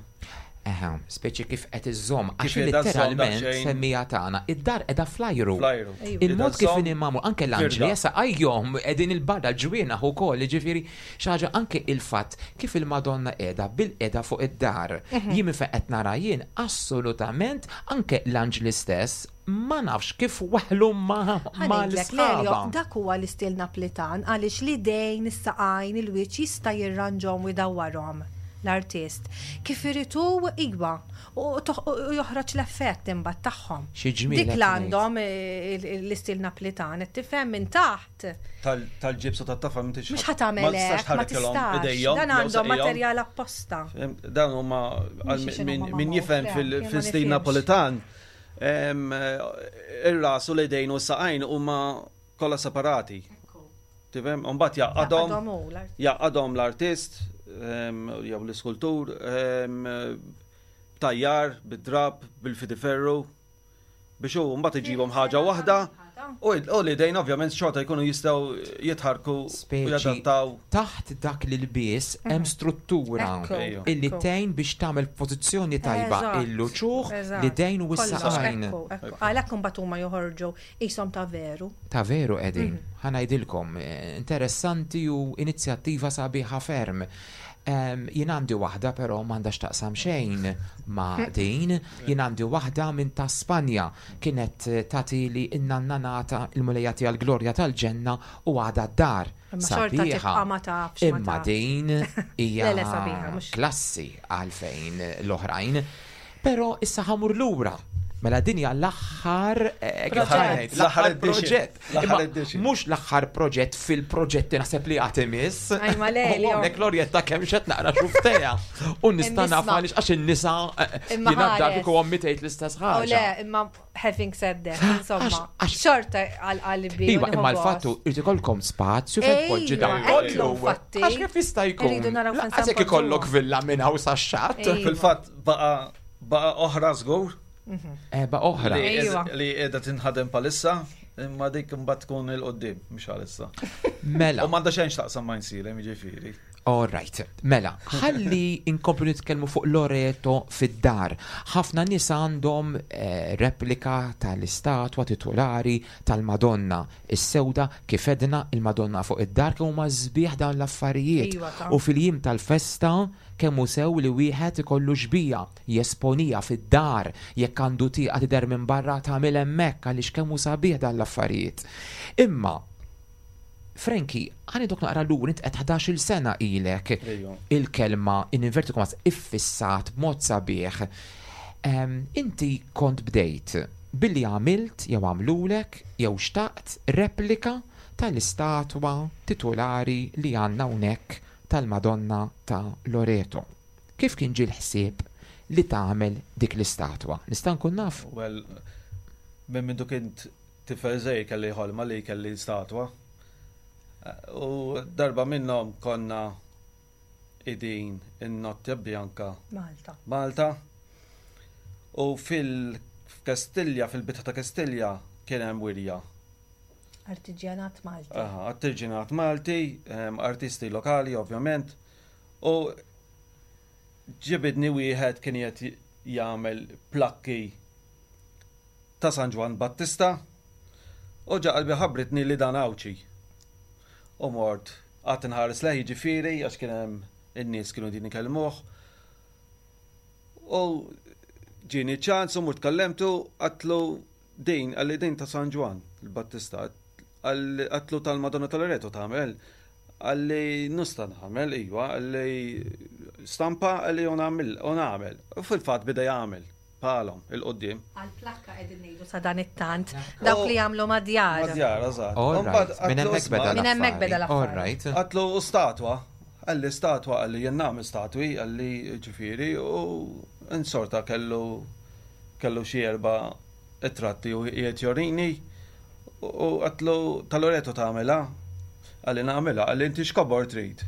Eħe, speċi kif qed iżżomm, għax Kif qiegħda żżomm letteralment daqsxejn. semmija tagħna, id-dar qiegħda flajru. Flajru. Ejwa. Il-mod Qiegħda kif żżomm inhi magħmul, anke l-anġli firda. jesa għajjom qegħdin il-barra ġwienaħ ukoll, jiġifieri xi ħaġa anke il-fatt kif il-Madonna qiegħda bil-qiegħda fuq id-dar. Jien minn fejn qed nara jien assolutament anke l-anġli stess ma nafx kif waħlu ma Ħanejlek, Lelio, l-isħaba. dak huwa l-istil Naplitan għaliex l-idejn, is-saqajn, il-wiċċ jista' jirranġhom u jdawwarhom l-artist. Kif irid hu iwa u u joħroġ l-effett imbagħad tagħhom. Xi ġmiel Dik qed l-għandhom l-istil Naplitan, qed tifhem minn taħt. Tal-ġibsu tat-tafa m'intix Mhux ħa tagħmel ma tistax hekk, ma tħarrikilhom tistax. idejhom Dan jew għandhom saqajhom. materjal apposta. Dan huma għal Mhix min x'inhuma min magħmul, jifhem Frank, jien ma fil-stil nifhimx. Napolitan ir-ras u l-idejn u s-saqajn huma kollha separati. Tifhem? U mbagħad jaqadhom Jaqadhom hu l-artist. jaqadhom l-artist jew l-iskultur b'tajjar, bid-drab, bil-fidiferru biex hu mbagħad iġibhom ħaġa waħda u l-idejn ovvjament xorta jkunu jistgħu jitħarku u Speċi jadattaw. taħt dak li l-bies hemm struttura Ekku, Ejja. illi ekku. tgħin biex tagħmel pożizzjoni tajba Eżatt, il-luċuħ eżatt. li dejn u Kollox, s-saqajn. ekku, ekku. Għalhekk imbagħad huma joħorġu qishom ta' veru. Ta' veru qegħdin, ħanajdilkom, interessanti u inizjattiva sabiħa ferm. Jien għandi waħda però m'għandax taqsam xejn ma' din, jien għandi waħda minn ta' Spanja kienet tagħti li n-nanna nata il-mulejja tiegħi l-glorja tal-ġenna u għadha d-dar. Imma xorta Sabiħa. tibqa' ma tafx, ma Imma tafx. din hija Le, le, sabiħa, mhux- klassi għalfejn l-oħrajn. Però issa ħamur lura. Mela din hija l-aħħar kif Proġett. ngħid, L-aħħar l-aħħar edition. proġett. L-aħħar Imma edition. Mhux l-aħħar proġett fil-proġetti naħseb li għad imiss. Aj, ma le, U li hawnhekk Lorjetta kemm xed naqra xuftejha. U nista' naf Imma għaliex għax in-nisa Imma jiena ħares. dak u ommi tgħid l-istess U le, ħaġa. imma having said that, insomma, Għax- xorta għal qalbi. Iva, imma l-fattu irid ikollkom spazju fejn tpoġġi dan Ejwa, kollu. għedlu, infatti. Għax kif jista' jkun? Irridu naraw fejn Lanqas jekk se ikollok npoġġuhom. villa minn hawn sax-xatt. Ejwa. Fil-fatt baqa baqa oħra żgur Eba oħra. li Ejwa. li qiegħda tinħadem palissa imma dik imbagħad tkun il-qoddim mhux għalissa. Mela. U m'għandha xejn x'taqsam ma' nsirem jiġifieri. All right. Mela, ħalli inkomplu nitkellmu fuq Loreto fid-dar. Ħafna nies għandhom replika tal-istatwa titolari tal-Madonna. Is-sewda kif edna il-Madonna fuq id-dar kemm huma sbieħ dawn l-affarijiet. Iva, ta. U fil-jiem tal-festa kemm hu sew li wieħed ikollu xbija jesponija fid-dar jekk għandu tieqa tidher minn barra tagħmel hemmhekk għaliex kemm hu sabiħ dan l-affarijiet. Imma Frankie, għani dok naqra l-ur, int qed 11-il sena ilek Ejju. il-kelma in inverted commas iffissat b'mod sabiħ. Inti kont bdejt billi għamilt jew għamlulek jew xtaqt replika tal-istatwa titolari li għandna hawnhekk tal-Madonna ta' Loreto. Kif kien ġie l-ħsieb li tagħmel dik l-istatwa? Nista' nkun naf? Well, minn mindu kint tifel żgħir kelli ħolma li kelli statwa. U darba minnhom konna qegħdin in-Notte Bianca Malta. Malta. U fil-Kastilja, fil-bitħa ta' Kastilja kien hemm wirja. Artiġjanat Malti. Aha, artiġjanat Malti, artisti lokali ovvjament. U ġibidni wieħed kien qed jagħmel plakki ta' San Ġwann Battista u ġa qalbi ħabbritni li dan Għawdxi. U mort qgħadt inħares lejh jiġifieri għax kien hemm in-nies kienu qegħdin ikellmuh. U ġieni ċans u mort kellemtu għadtlu din qalli din ta' San Ġwann il-Battista. Għadtlu tal-Madonna ta' Loreto tagħmel. Qalli nista' nagħmel iva, qalli stampa qalli u nagħmel u nagħmel. U fil-fatt beda jagħmel. Bħalhom, 'il quddiem. Għall-plakka qegħdin ngħidu sadanittant, dawk li jagħmlu mad-djar. Mad-djar, eżatt. All right, minn hemmhekk beda l-affari. Minn hemmhekk beda l-affari. All right. Għadtlu u statwa? Qalli statwa, qalli jien nagħmel statwi, qalli ġifieri u insorta kellu kellu xi erba' ritratti u qiegħed jorini u għadtlu ta' Loreto tagħmilha? Qalli nagħmilha, qalli inti x'kobor trid?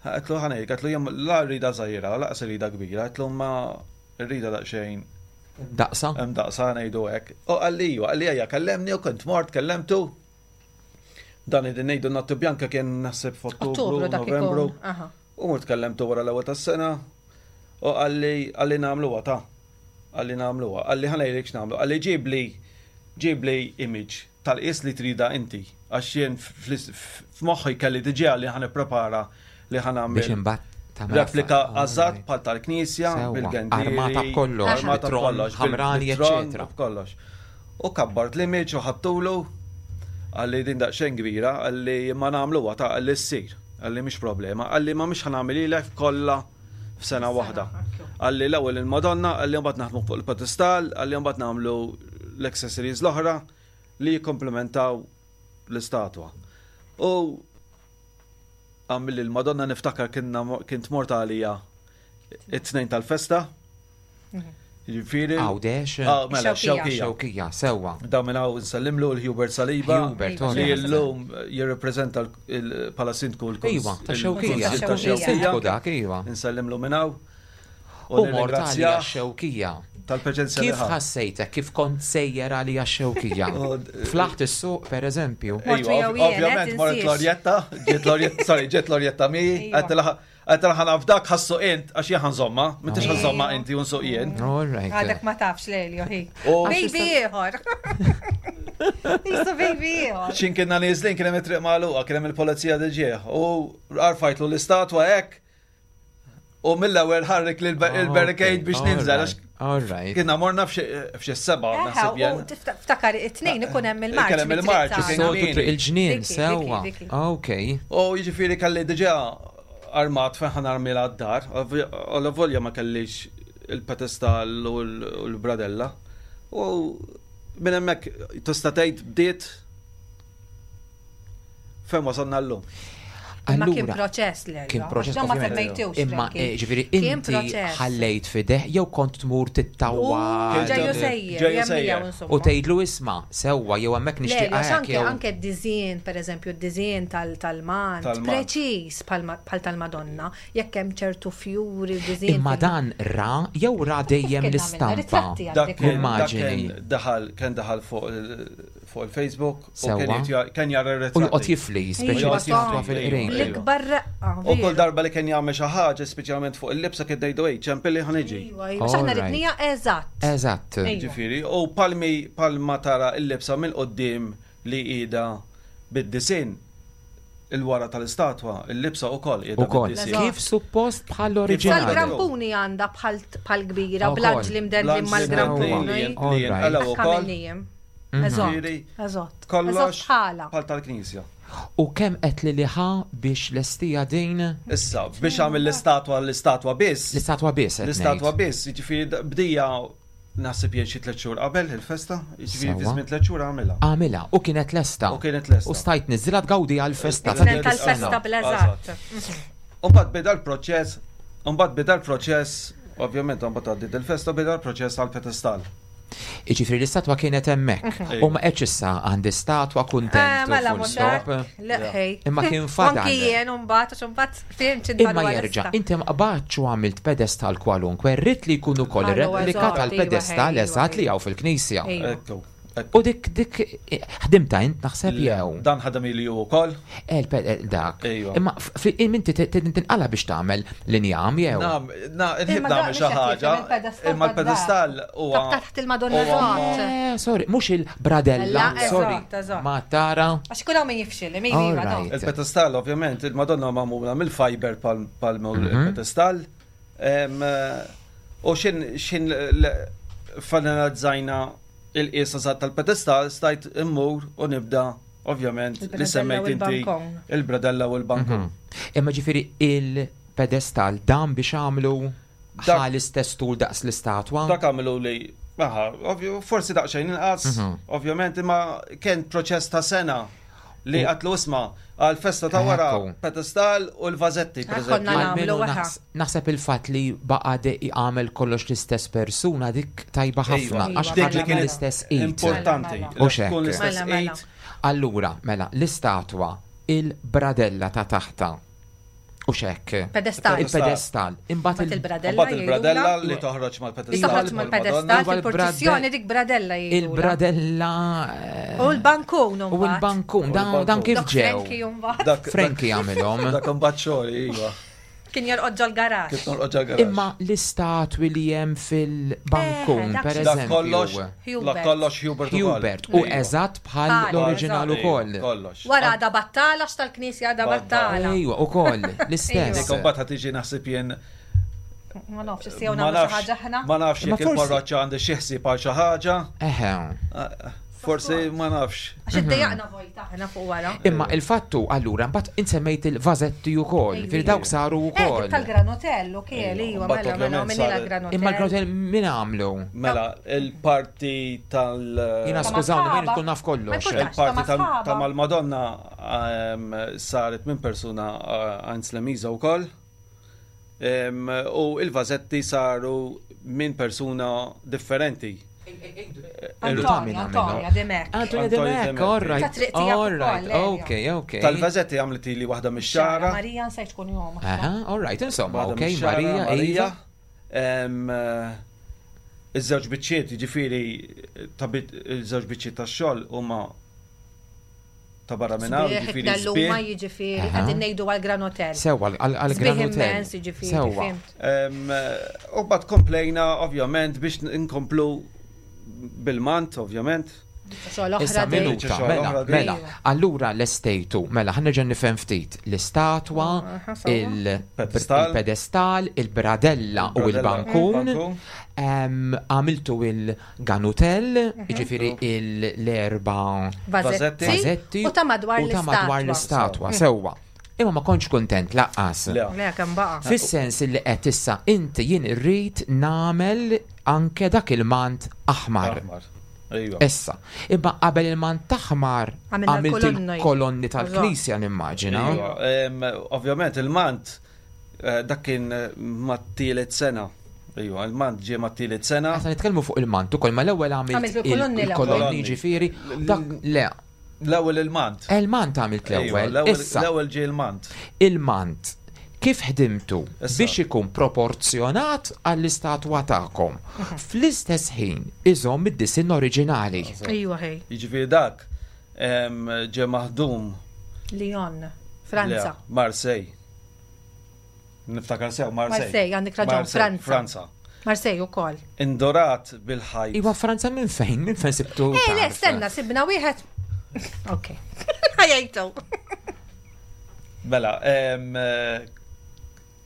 Għedtlu ħa ngħidlek, għedtlu jien la rridha żgħira u lanqas irridha kbira, għedtlu imma Irridha daqsxejn. Daqsa? Daqsa ngħidu hekk. U qalli iva, qalli ejja kellemni u kont mort kellemtu. Dan id ngħidu Notte Bianca kien naħseb f'Ottubru, Novembru. U mort kellemtu wara l-ewwel tas-sena u qalli qalli nagħmluha ta. Qalli nagħmluha. Qalli ħa ngħidlek x'nagħmlu. Qalli ġibli ġibli image tal-qies li tridha inti għax jien f'moħħi kelli diġà li ħa nipprepara li ħa nagħmel. Biex imbagħad tagħmel Replika eżatt bħal tal-knisja bil-gendiri. Armata b'kollox, armata b'kollox, ħamrani, eċċetera. B'kollox. U kabbart l-image u ħadtulu qalli din daqsxejn kbira, qalli imma nagħmluha ta' qalli ssir, qalli mhix problema, qalli ma mhix ħa nagħmililek kollha f'sena waħda. Qalli l-ewwel il-Madonna, qalli mbagħad naħdmu fuq il-pedestal, qalli mbagħad nagħmlu l-accessories l-oħra li jikkomplementaw l-istatwa. U għamilli l-Madonna niftakar kint mort għalija it-tnejn tal-festa. Mhm. Jiġifieri. Għawdex. Ah, mela, xewkija. Xewkija, sewwa. Da minn hawn nsellimlu l-Hubert Saliba. Hubert, li llum jirrepreżenta bħala sindku l-Kunsill. Iva, ta' xewkija. Ta' xewkija. Sindku dak, iva. Nsellimlu minn hawn. U mort għalija xewkija. Tal-preġenza. Kif ħassejtek, kif kont sejjer għalija xewkija? Flaħt is-suq, per eżempju. Iva, ovvjament, mort Lorjetta, ġiet Lorjetta, sorry, ġiet Lorjetta mi, għedtilha Għedt ħa nafdak ħa ssuq int għax jien ħa nżommha, m'intix ħa żżommha inti u nsuq jien. All right. Għadek ma tafx Lelio hi. Baby ieħor. Jisu baby ieħor. X'in kienna nieżlin kien hemm it-triq magħluqa, kien hemm il-polizija diġieħ u arfajtlu l-istatwa hekk u mill-ewwel ħarrik l-barricade biex ninżel għax All right. Kienna morna f'xi seba' naħseb jien. Ftakar it-tnejn ikun hemm il-marċ. Ikun hemm il-marċ. Soltu triq il-ġnien sewwa. Ok. U jiġifieri kelli diġà armat fejn ħa narmilha d-dar, alla volja ma kellix il-pedestal u l-bradella. U minn hemmhekk tista' tgħid bdiet Fejn wasalna llum. Imma kien proċess li Kien proċess. Ma semmejtux. Imma eh, ġifieri inti ħallejt fideh jew kont tmur tittawwa. Ġejju sejjer. U tgħidlu isma' sewwa jew hemmhekk nixtieq anke anke d-diżin, pereżempju d-diżin tal-mant, preċiż bħal tal-Madonna, jekk hemm ċertu fjuri u diżin. Imma dan ra jew ra dejjem l-istampa. Dak Immaġini. Daħal kien daħal fuq fuq il-Facebook u kien jara r-ritratti. U joqgħod jifli, speċi statwa fil-qrib. L-ikbar reqqa. U kull darba li kien jagħmel xi ħaġa, speċjalment fuq il-libsa kien ngħidu ej, ċempilli ħa niġi. Iva, iva, aħna ridnija eżatt. Eżatt. Ġifieri, u palmi palma tara l-libsa mill-qudiem li qiegħda bid-disinn il-wara tal-istatwa, il-libsa wkoll qiegħda bid-disinn. Kif suppost bħall-oriġinali. Sal-grampuni għandha bħal kbira, bl-anġli mdendlin mal-grampuni. Li jinqalgħu wkoll. Eżatt. Eżatt. Kollox bħal tal-knisja. U kemm qed li liħa biex lestija din? Issa, biex għamil l-istatwa l-istatwa biss. L-istatwa biss. L-istatwa biss, jiġifieri bdija naħseb jien xi tliet xhur qabel il-festa, jiġifieri fi żmien tliet xhur għamilha. Għamilha u kienet lesta. U kienet lesta. U stajt niżilha tgawdi għall-festa. Tal-festa bl-eżatt. U mbagħad beda l-proċess. Mbagħad beda l-proċess, ovvjament mbagħad għaddiet il-festa, beda l-proċess għall-pedestal. Jiġifieri l-istatwa kienet hemmhekk. U ma qedx issa għandi statwa kuntent. Eh, mela full stop. Imma kien fadal. Anki jien mbagħad għax imbagħad fimt x'inhu Imma jerġa' inti ma qbadtx u għamilt pedestal kwalunkwe, rrid li jkun ukoll replika iva, tal-pedestal eżatt li hawn fil-knisja. Ekku. U dik dik ħdimta int naħseb jew. Dan ħadem ili hu wkoll. Eh, eh, dak. Ejwa. Imma inti tinqala biex tagħmel l-injam jew. Nam, na, nħib nagħmel xi ħaġa. Imma l-pedestal huwa. Taħt il-Madonna eżatt. Eh, sorry, mhux il-bradella, sorry. Ma tara. Għax kull hawn min jifxil, mi iva, Il-pedestal ovvjament, il-Madonna magħmula mill-fiber pal mhm. il-pedestal. U xin xin fanalizzajna il-qies eżatt tal-pedestal stajt immur u nibda ovvjament li semmejt inti il-bradella u l-bankun. Mhm. Imma ġifieri il-pedestal dan biex għamlu ħa l-istess tul daqs l-istatwa? Dak għamlu li Aha, forsi daqsxejn inqas, mhm. ovvjament, imma kien proċess ta' sena li għatlu isma għal festa ta' wara pedestal u l-vazetti, per eżempju. Naħseb il-fatt li baqa għamel kollox l-istess persuna dik tajba ħafna, għax dik li kien l-istess id. Importanti. U tkun l-istess mela, mela. id. Allura, mela, l-istatwa, il-bradella ta' taħta. U xek. Pedestal. Il-pedestal. Imbagħad il-bradella. Imbagħad il-bradella li toħroġ mal-pedestal. Toħroġ mal-pedestal fil-purċissjoni dik bradella jgħidu. Il-bradella. Eh, u l-bankun. U l-bankun, dan kif ġew. Frankie għamilhom. Dak imbagħad xogħol, iva. Kien jorqod ġol-garax. Kien jorqod ġol-garax. Imma l-istatwi li hemm fil-bankun, eh, per eżempju. Kollox, kollox Hubert. Hubert, u eżatt bħal l-oriġinal ukoll. Kollox. Wara għada battala, x'tal-knisja għada battala. Ejwa, ukoll, l-istess. Dik imbagħad tiġi naħseb jien Ma nafx, issejjew nagħmlu xi ħaġa aħna. Ma nafx jekk il-parroċċa għandha xi ħsieb għal xi ħaġa. Eħe. Ah, forsi ma nafx. Għax iddejjaqna vojta aħna fuq wara. Imma il-fattu allura mbagħad insemmejt il-vażetti wkoll, fil dawk saru eh, wkoll. Tal-granotello kiel, iva, mela, mela, mela granotell. Imma l-granotell min għamlu? Mela, il-parti tal- Jina skużawni, ma jkun naf kollox. Il-parti ta' mal-Madonna ehm, saret minn persuna eh, Heinz Lemiza wkoll. U il-vażetti saru minn persuna differenti. Antonio, Antonio Demek. Antonio Demek, all right. All right, ok, ok. Tal-vażetti għamlet li waħda mix-xara. Marija nsejt tkun jom. Aha, all right, insomma, ok, Marija, Marija. Iż-żewġ biċċiet, jiġifieri iż-żewġ biċċiet tax-xogħol huma ta' barra minn hawn, jiġifieri sbieħ. Jiġifieri qegħdin ngħidu għal Gran Hotel. Sewwa għal Gran Hotel. Jiġifieri. Sewwa. U bad komplejna ovvjament biex inkomplu bil-mant, ovvjament. Issa minuta, mela, mela. Allura l-estejtu, mela, ħa nerġa' nifhem ftit. L-istatwa, il-pedestal, il-bradella u il-bankun. Għamiltu il-ganutel, mhm. jiġifieri l-erba vazetti u ta' madwar l-istatwa. Mhm. Sewwa. Imma ma kontx kuntent laqqas. Le, kemm baqa'. Fis-sens li qed issa inti jien irrid nagħmel anke dak il-mant aħmar. Issa, imma qabel il-mant aħmar għamilt il-kolonni tal-knisja nimmaġina. Ovvjament il-mant eh, dak kien eh, mat-tielet sena. Ejwa, il-mant ġie mat-tielet sena. Għasa nitkellmu fuq il-mant ukoll, ma l-ewwel għamilt il-kolonni ġifieri, dak le. L-ewwel il-mant. Il-mant għamilt l-ewwel. L-ewwel ġie il-mant. Il-mant kif ħdimtu biex ikun proporzjonat għall-istatwa tagħkom. Mhm. Fl-istess ħin iżomm id-disinn oriġinali. Ejwa ħej. Jiġifieri dak ġie maħdum. Lyon, Franza. Marseille. Niftakar sew Marseille. Marseille, għandek raġun, Franza. Franza. Marseille ukoll. Indorat bil-ħajt. Iwa Franza minn fejn, minn fejn sibtu? Eh, le, stenna, sibna wieħed. Ok. Ħajajtu. Mela, eh,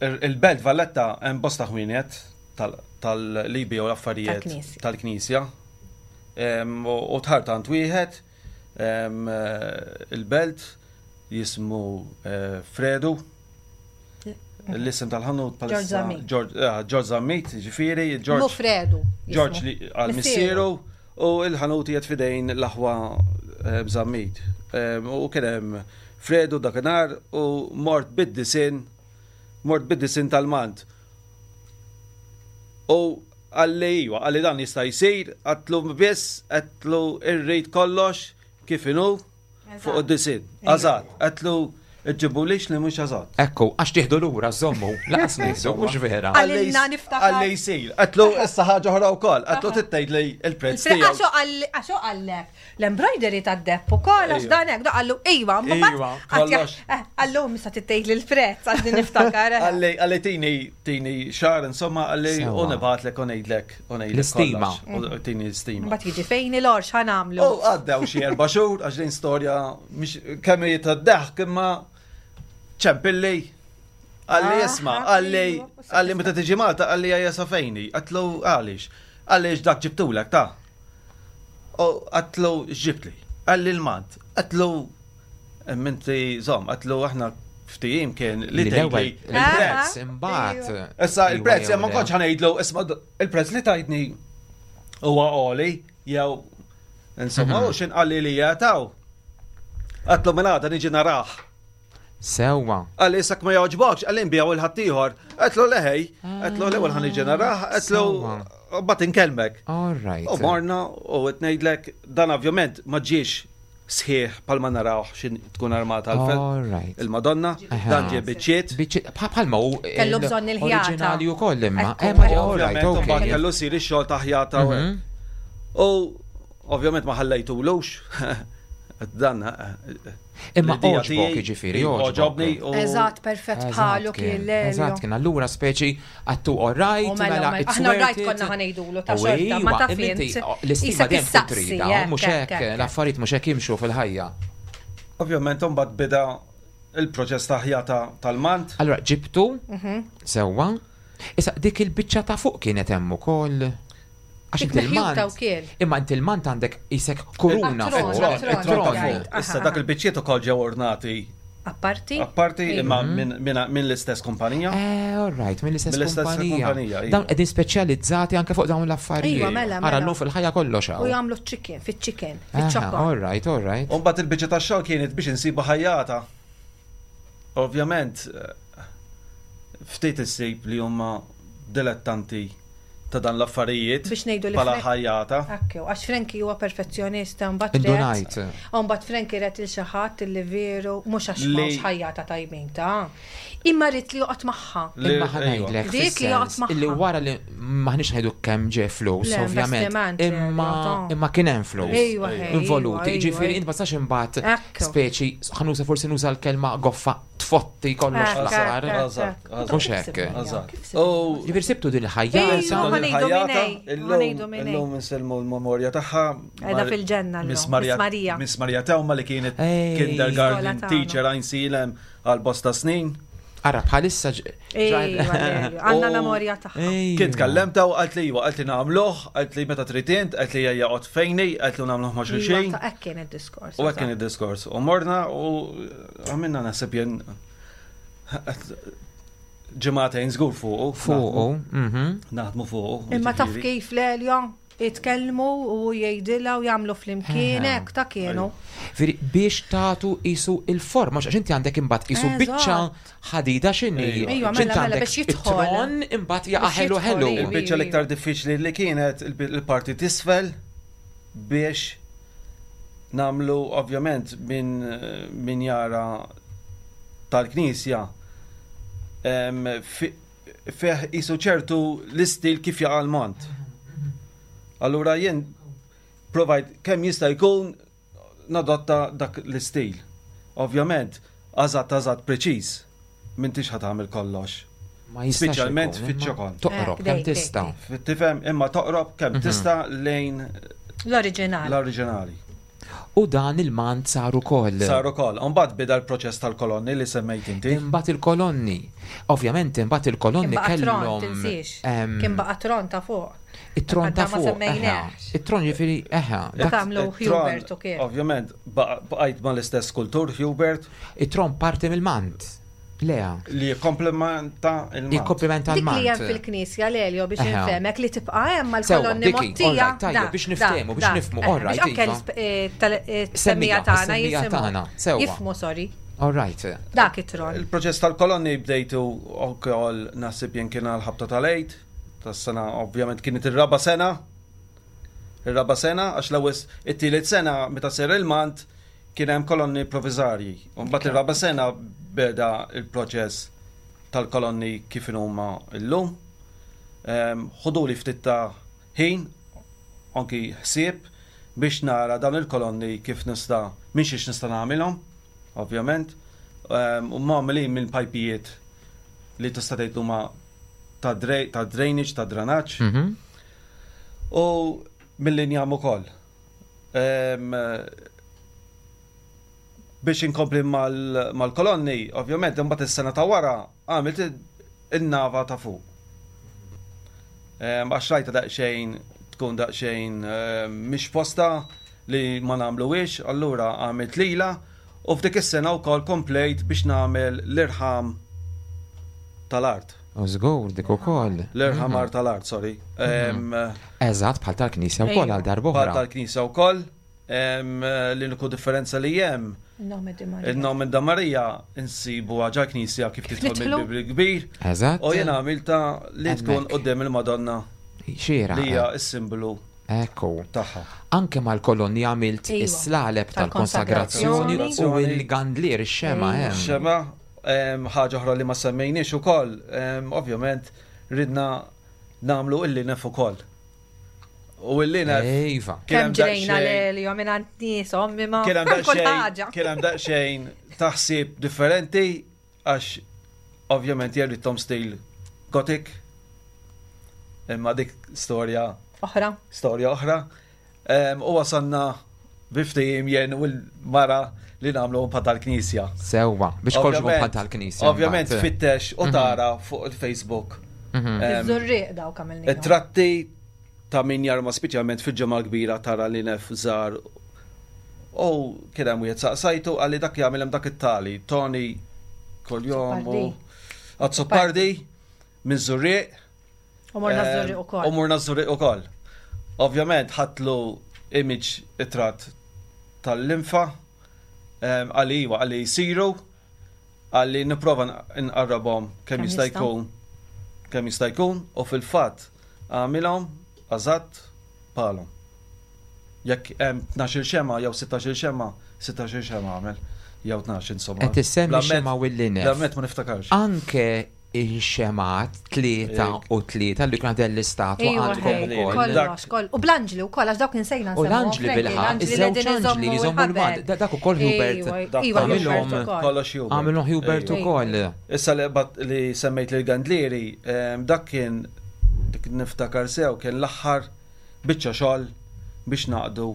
il-Belt Valletta hemm bosta ħwienet tal-libi u l-affarijiet tal-Knisja. U tħartant wieħed eh, il-belt jismu eh, Fredu. L-isem tal-ħanut George Zammit. George Zammit, ġifiri, George. Fredu. George li għal missieru u il-ħanut jgħid fidejn l-aħwa eh, Zammit. U kien hemm Fredu dakinhar u mort bid-disin, mort bid-disin tal-mant. U qalli iwa, qalli dan jista' jsir, għedtlu biss, għedtlu irrid kollox kif inhu fuq id-disinn. Eżatt, għedtlu ġġibulix li mhux eżatt. Ekku, għax tieħdu lura żommu, laqas nieħdu, mhux vera. Qalilna niftakar. Qalli jsir, għedtlu issa ħaġa oħra wkoll, għedtlu trid tgħidli l-prezz tiegħu. Għax hu qallek, L-embroidery tad-depp ukoll għax dan hekk, qallu iva, Iva, kollox. Eh, qallu misa titgħid l-prezz għax din niftakar. Eh. Qalli qalli tini tini xahar insomma qalli u nibgħatlek u ngħidlek u ngħidlek. L-istima. Tini l-istima. Mbagħad jiġi fejn il-orx ħanamlu. U għaddew xi erba' xhur għax din storja mhix kemm hi tad-daħk imma ċempilli Għalli ah, isma, għalli għalli meta tiġi Malta għalli għajja safejni, għatlu għalix, għalli dak ġibtulek ta' U għatlu x'ġibtli? Qalli l-mant. Għatlu minti żomm, għatlu aħna ftehim kien li tgħidli il-prezz imbagħad. Issa il-prezz ma kontx ħanejdlu isma' il-prezz li tajtni huwa għoli jew insomma u x'in qalli li jataw. Għatlu mela għada niġi narah. Sewwa. Qalli issa ma jogħġbokx, qalli nbiegħu 'l ħaddieħor. Għedtlu le ħej, għedtlu l-ewwel ħa niġi narah, għedtlu mbagħad inkellmek. All right. U morna u qed ngħidlek dan ovvjament ma ġiex sħiħ bħalma narawh xi tkun armata il-Madonna, dan ġie biċċiet. Biċċiet bħalma hu Kellu bżonn il-ħjata. Oriġinali wkoll imma. Ovvjament mbagħad kellu jsir ix-xogħol ta' ħjata u hekk. U ovvjament ma ħallejtulux dan Imma oġbok jiġifieri, oġobni. Eżatt, perfett bħalu kien Eżatt, kien allura speċi għattu all right, mela, mela aħna all right konna ħanejdulu ta' xorta, ma ta' fint. L-istima dejjem tkun trida, mhux hekk, l-affarijiet mhux hekk jimxu fil-ħajja. Ovvjament imbagħad beda il-proċess ta' ħjata tal-mant. Allura ġibtu, mhm. sewwa, issa dik il-biċċa ta' fuq kienet hemm ukoll. Għax inti l-mant. Imma inti l-mant għandek isek kuruna fuq. It-tron. Issa dak il-biċċiet ukoll ġew ornati. Apparti? Apparti, imma mhm. minn l-istess kumpanija. Eh, all right, minn l-istess kumpanija. Iva. Dawn qegħdin speċjalizzati anke fuq dawn l-affarijiet. Iva, mela, mela. Ara llum fil-ħajja kollox hawn. U jagħmlu chicken, fiċ-chicken, fiċ-ċokon. All right, all right. U mbagħad il-biċċa tax-xogħol kienet biex insibu ħajjata. Ovvjament, ftit issib li huma dilettanti ta' dan l-affarijiet Biex ngħidu li bħala ħajjata. Ekku, għax Frankie huwa perfezzjonista mbagħad Indunajt. U mbagħad Frankie ret il xi ħadd li veru mhux għax m'hawnx ħajjata tajbin ta' imma rrid li joqgħod magħha. Imma ħa ngħidlek Dik li joqgħod magħha. Illi wara li m'aħniex ngħidu kemm ġie flus, ovvjament. Imma imma kien hemm flus. Involuti, ġifieri int ma tistax imbagħad speċi ħa nuża forsi nuża l-kelma goffa tfotti kollox fl-aħħar. Mhux hekk. Ġifieri sibtu din il-ħajja. Illum insellmu l-memorja tagħha. Qiegħda fil-ġenna. Miss Maria. Miss Maria Tewma li kienet kindergarten teacher għajnsilem għal bosta snin. Ara bħalissa Għandna memorja tagħha. Kien tkellemta u qalt li iva, qalt li nagħmluh, qalt li meta trid int, qalt li ejja qgħod fejni, qalt li nagħmluh ma' xulxin. Iva, hekk kien id-diskors. U hekk kien id-diskors. U morna u għamilna naħseb jien ġimgħatejn żgur fuqu. Fuqu, mhm. Naħdmu fuqu. Imma taf kif l-Elio? Jitkellmu u hu jgħidilha u jagħmlu flimkien hekk ta' kienu. Veri biex tagħtu qisu il-forma għax inti għandek imbagħad qisu biċċa ħadida x'inhi. Ejwa, mela, mela biex jidħol. Tron imbagħad jaqa' ħelu ħelu. Il-biċċa l-iktar diffiċli li kienet il-parti t'isfel biex nagħmlu ovvjament min jara tal-knisja fih qisu ċertu l-istil kif jaqa' l-mont. Allura jien provajt kemm jista' jkun nadotta dak l-istil. Ovvjament, għażatt għażatt preċiż, m'intix ħa tagħmel kollox. Ma jistax Speċjalment fiċ-ċokon. Toqrob kemm tista'. Tifhem, imma toqrob kemm mhm. tista' lejn l-oriġinali. L-oriġinali. U dan il-mant sar ukoll. Sar ukoll. U mbagħad beda l-proċess tal-kolonni li semmejt inti. Imbagħad il-kolonni. Ovvjament imbagħad il-kolonni kellhom. Tinsiex. Kien baqa' tron ta' fuq. It-tron ta' fuq. It-tron jiġifieri eħe. Dak għamlu Hubert u kien. Ovvjament baqajt mal-istess skultur Hubert. It-tron parti mill-mant. Lea. Li jikkomplementa il-mant. Jikkomplementa l-mant. Dik li hemm fil-knisja Lelio biex nifhemek li tibqa' hemm mal-kolonni mottija. Tajjeb, biex niftehmu, biex nifhmu, all right. Biex anke eh, eh, tagħna tagħna. Jifhmu, sorry. All right. Dak it-tron. Il-proċess tal-kolonni bdejtu wkoll naħseb jien kien għal ħabta tal-għid. Tas-sena ovvjament kienet ir-raba' sena. Ir-raba' sena għax l-ewwel it-tielet sena meta ser il-mant kien hemm kolonni provizarji. U mbagħad ir-raba' sena beda il-proċess tal-kolonni kif huma llum. Ħuduli ftit ta' ħin, anki ħsieb biex nara dawn il-kolonni kif nista' minn xiex nista' nagħmilhom, ovvjament. U magħmulin minn pajpijiet li tista' tgħid huma ta' drainage, ta' dranaġġ. U mill-injam ukoll. Biex inkompli mal-kolonni, ovvjament, imbagħad is-sena ta' wara għamilt in-nava ta' fuq. Għax rajta daqsxejn tkun daqsxejn mhix posta li ma nagħmluhiex, allura għamilt lila u f'dik is-sena wkoll komplejt biex nagħmel l-irħam tal-art. U żgur dik ukoll. L-irħam art tal-art, sorry. Eżatt bħal tal-knisja wkoll għal darb'oħra. Bħal tal-knisja wkoll. L-uniku differenza li hemm il-nome da Marija insibu ġa knisja kif tidħol mill-bib kbir. Eżatt. U jien għamilta li tkun quddiem il-Madonna. Xira. Li hija s-simbolu Ekku. Tagħha. Anke mal-kolonni għamilt is-slaleb tal-konsagrazzjoni u l-gandlier ix-xema hemm. Xema, ħaġa oħra li ma semmejniex ukoll, ovvjament ridna nagħmlu il-linef ukoll. U il-linef. Iva. Kemm ġrejna l-elio minn għand nieshom imma Kien hemm daqsxejn kien hemm daqsxejn taħsib differenti għax ovvjament jien ridthom stil Gothic. Imma dik storja oħra. Storja oħra. U wasalna bi ftehim jien u l-mara li nagħmlu bħal tal-knisja. Sewwa, biex kollox ikun bħal tal-knisja. Ovvjament fittex u tara fuq il-Facebook. Iż-żurrieq dawk għamilni. Tratti ta' min jarma speċjalment fil-ġemgħa kbira tara li nef żgħar. U kien hemm wieħed saqsajtu qalli dak jagħmel hemm dak it-tali, Tony kuljom u Azzopardi minn Żurrieq. U morna Żurrieq ukoll. U morna Żurrieq ukoll. Ovvjament ħadtlu image it-tratt tal-linfa, qalli iva, qalli jsiru, qalli nipprova nqarrabhom kemm jista' jkun kemm jista' jkun u fil-fatt għamilhom eżatt bħalhom. Jekk hemm 12-il xemgħa jew 16-il xemgħa, 16-il xemgħa għamel jew 12 insomma. Qed issemmi xemgħa u l-linef. L-amment ma niftakarx. Anke ix-xemgħat 3 u 3 li kuna dell-istatwa għandkom ukoll. Kollox, koll. U bl-anġli wkoll għax dawk insejna U l-anġli bilħaqq, iż-żewġ anġli li jżommu l-mad, dak ukoll Hubert. Għamilhom. Kollox Hubert. Għamilhom Hubert ukoll. Issa li li semmejt lil Gandlieri, dak kien dik niftakar sew kien l-aħħar biċċa xogħol biex naqdu.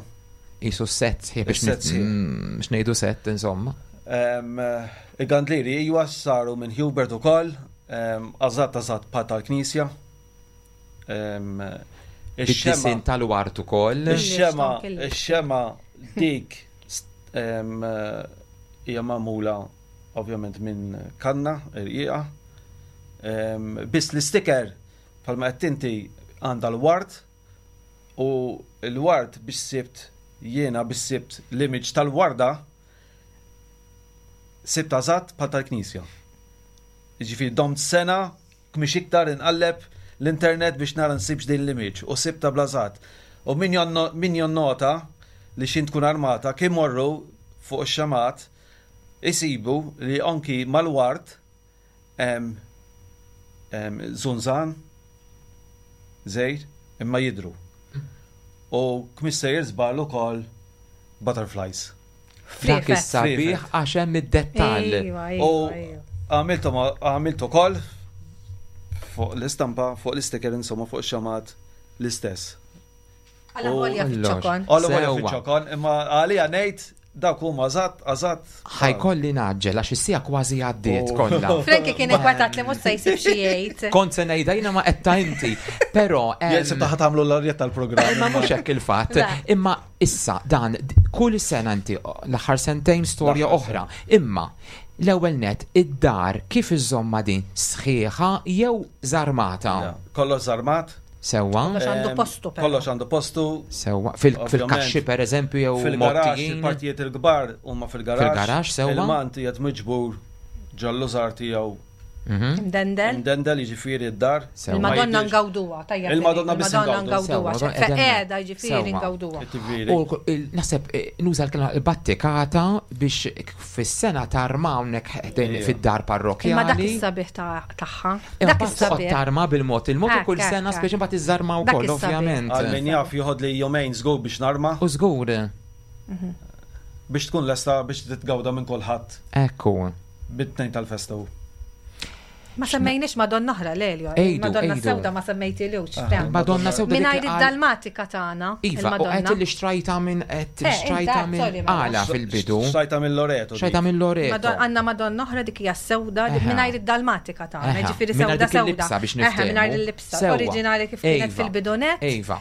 Isu set sħiħ biex biex ngħidu set insomma. Il-Gandlieri iwa saru minn Hubert ukoll, eżatt eżatt bħal tal-Knisja. Ix-xema tal-wart ukoll. Ix-xema, ix-xema dik hija magħmula ovvjament minn kanna irqiqa. Biss l-isticker bħalma qed inti għandha l-wart u l-wart biex sibt jiena biex sibt l-image tal-warda sibt eżatt bħal tal-Knisja. Jiġifieri domt sena mhix iktar inqalleb l-internet biex nara nsibx din l-image u sibtha bl-eżatt. U min min jonnota li x'in tkun armata kien morru fuq ix-xemgħat isibu li anki mal-ward hemm żunżan żgħir imma jidhru. U kmix sejjer żball ukoll butterflies. Dak is-sabiħ għax hemm id-dettall. U għamiltu għamilt ukoll fuq l-istampa, fuq l-isticker insomma fuq ix-xamat l-istess. Għala volja fiċ-ċokon. Għala volja fiċ-ċokon, imma għalija ngħid dawk huma eżatt, eżatt. Ħajkolli naġġel għax is-sija kważi għaddiet oh. kollha. Franki kien inkwetat li mhux se jsib xi jgħid. Kont se ngħidha jiena ma qed ta' inti, però Jien sibta ħadd tagħmlu l-arjet tal-programm. Imma mhux hekk il-fatt. Imma issa dan kull sena inti l-aħħar sentejn storja oħra. Imma l-ewwel net id-dar kif iżomma din sħiħa jew żarmata? Kollox żarmat. Sewwa. Kollox għandu postu. Kollox għandu postu. Sewwa. Fil-kaxxi per eżempju jew fil-garaxx, il-partijiet il-kbar huma fil-garaxx. Fil-garaxx sewwa. Il-mant qiegħed miġbur ġol-lużar tiegħu. Imdendel. Imdendel jiġifieri d-dar. Il-Madonna ngawduha, tajjeb. Il-Madonna biss Il-Madonna ngawduha. Feqeda jiġifieri ngawduha. U naħseb eh, nuża l-kelma battikata biex fis-sena tarma hawnhekk ħdejn fid-dar parrokkjali. Imma dak is-sabiħ tagħha. Dak is-sabiħ. Tarma bil-mod il-mod u kull sena speċi mbagħad iżżarma wkoll ovvjament. Għal min jaf joħod li jumejn żgur biex narma. U żgur. Mhm. Biex tkun lesta biex titgawda minn kulħadd. Ekku. Bit-tnejn tal-festa hu. Ma semmejniex Madonna oħra Lelio. Madonna Sewda ma semmejtilux. Ah, Madonna Sewda. Mingħajr id-Dalmatika tagħna. Iva, u qed li xtrajta minn qed eh, xtrajta minn mela. għala fil-bidu. Xtrajta minn Loreto. Xtrajta minn Loreto. Għandna Madonna oħra dik hija sewda mingħajr id-Dalmatika tagħna, ġifieri sewda sewda. biex niftehmu. Mingħajr il-libsa oriġinali kif kienet fil-bidunet. Iva.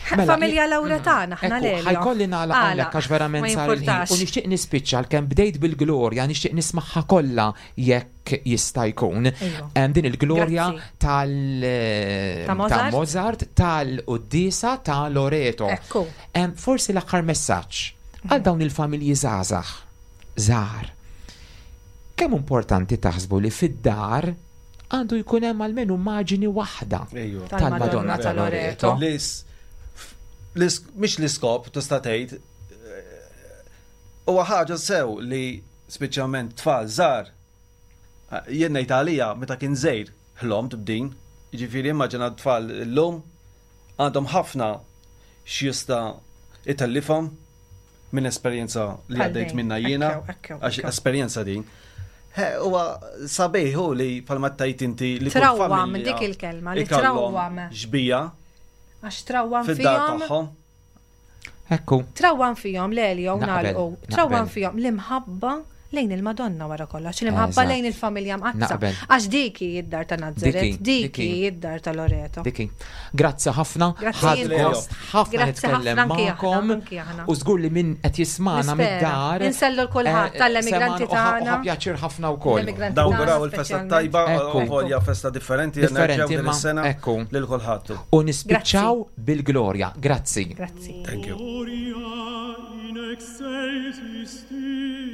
Mela, Familja Lauretana, ħna le. Ħajkolli nagħlaq hawnhekk għax verament sar il-ħin. U nixtieq nispiċċa għalkemm bdejt bil-glorja, nixtieq nismagħha kollha jekk jista' jkun. Din il-glorja tal Ta' Mozart, Mozart tal-Quddisa ta' Loreto. Forsi l-aħħar messaġġ għal dawn il-familji żgħażagħ żgħar. Kemm importanti taħsbu li fid-dar għandu jkun hemm almenu immaġini waħda tal-Madonna ta' Loreto. Mhix l-iskop tista' tgħid eh, huwa ħaġa sew li speċjalment tfal żgħar eh, jien ngħid għalija meta kien żejr ħlomt b'din, jiġifieri immaġina tfal illum għandhom ħafna x'jista' itellifhom minn esperjenza li għaddejt minna jiena, għax esperjenza din. Huwa sabiħ hu li palma tajt inti li trawwam dik il-kelma li trawwam. Xbija. Għax trawwam fid-dar tagħhom. Ekku. Trawwam fihom l-Elio nagħlqu. Trawwam fihom l-imħabba lejn il-Madonna wara kollox, l-imħabba lejn il-familja mqaddsa. Għax dik hi d-dar ta' Nazaret, dik hi d-dar ta' Loreto. Dik hi. Grazzi ħafna, ħadt gost ħafna nitkellem magħkom. U żgur li min qed jismagħna mid-dar. Insellu l-kulħadd eh, tal-emigranti tagħna. Pjaċir ħafna wkoll. Nawguraw il-festa tajba, volja festa differenti, differenti din is-sena lil kulħadd. U nispiċċaw bil-glorja. Grazzi. Grazzi. Thank you. In excelsis Deo.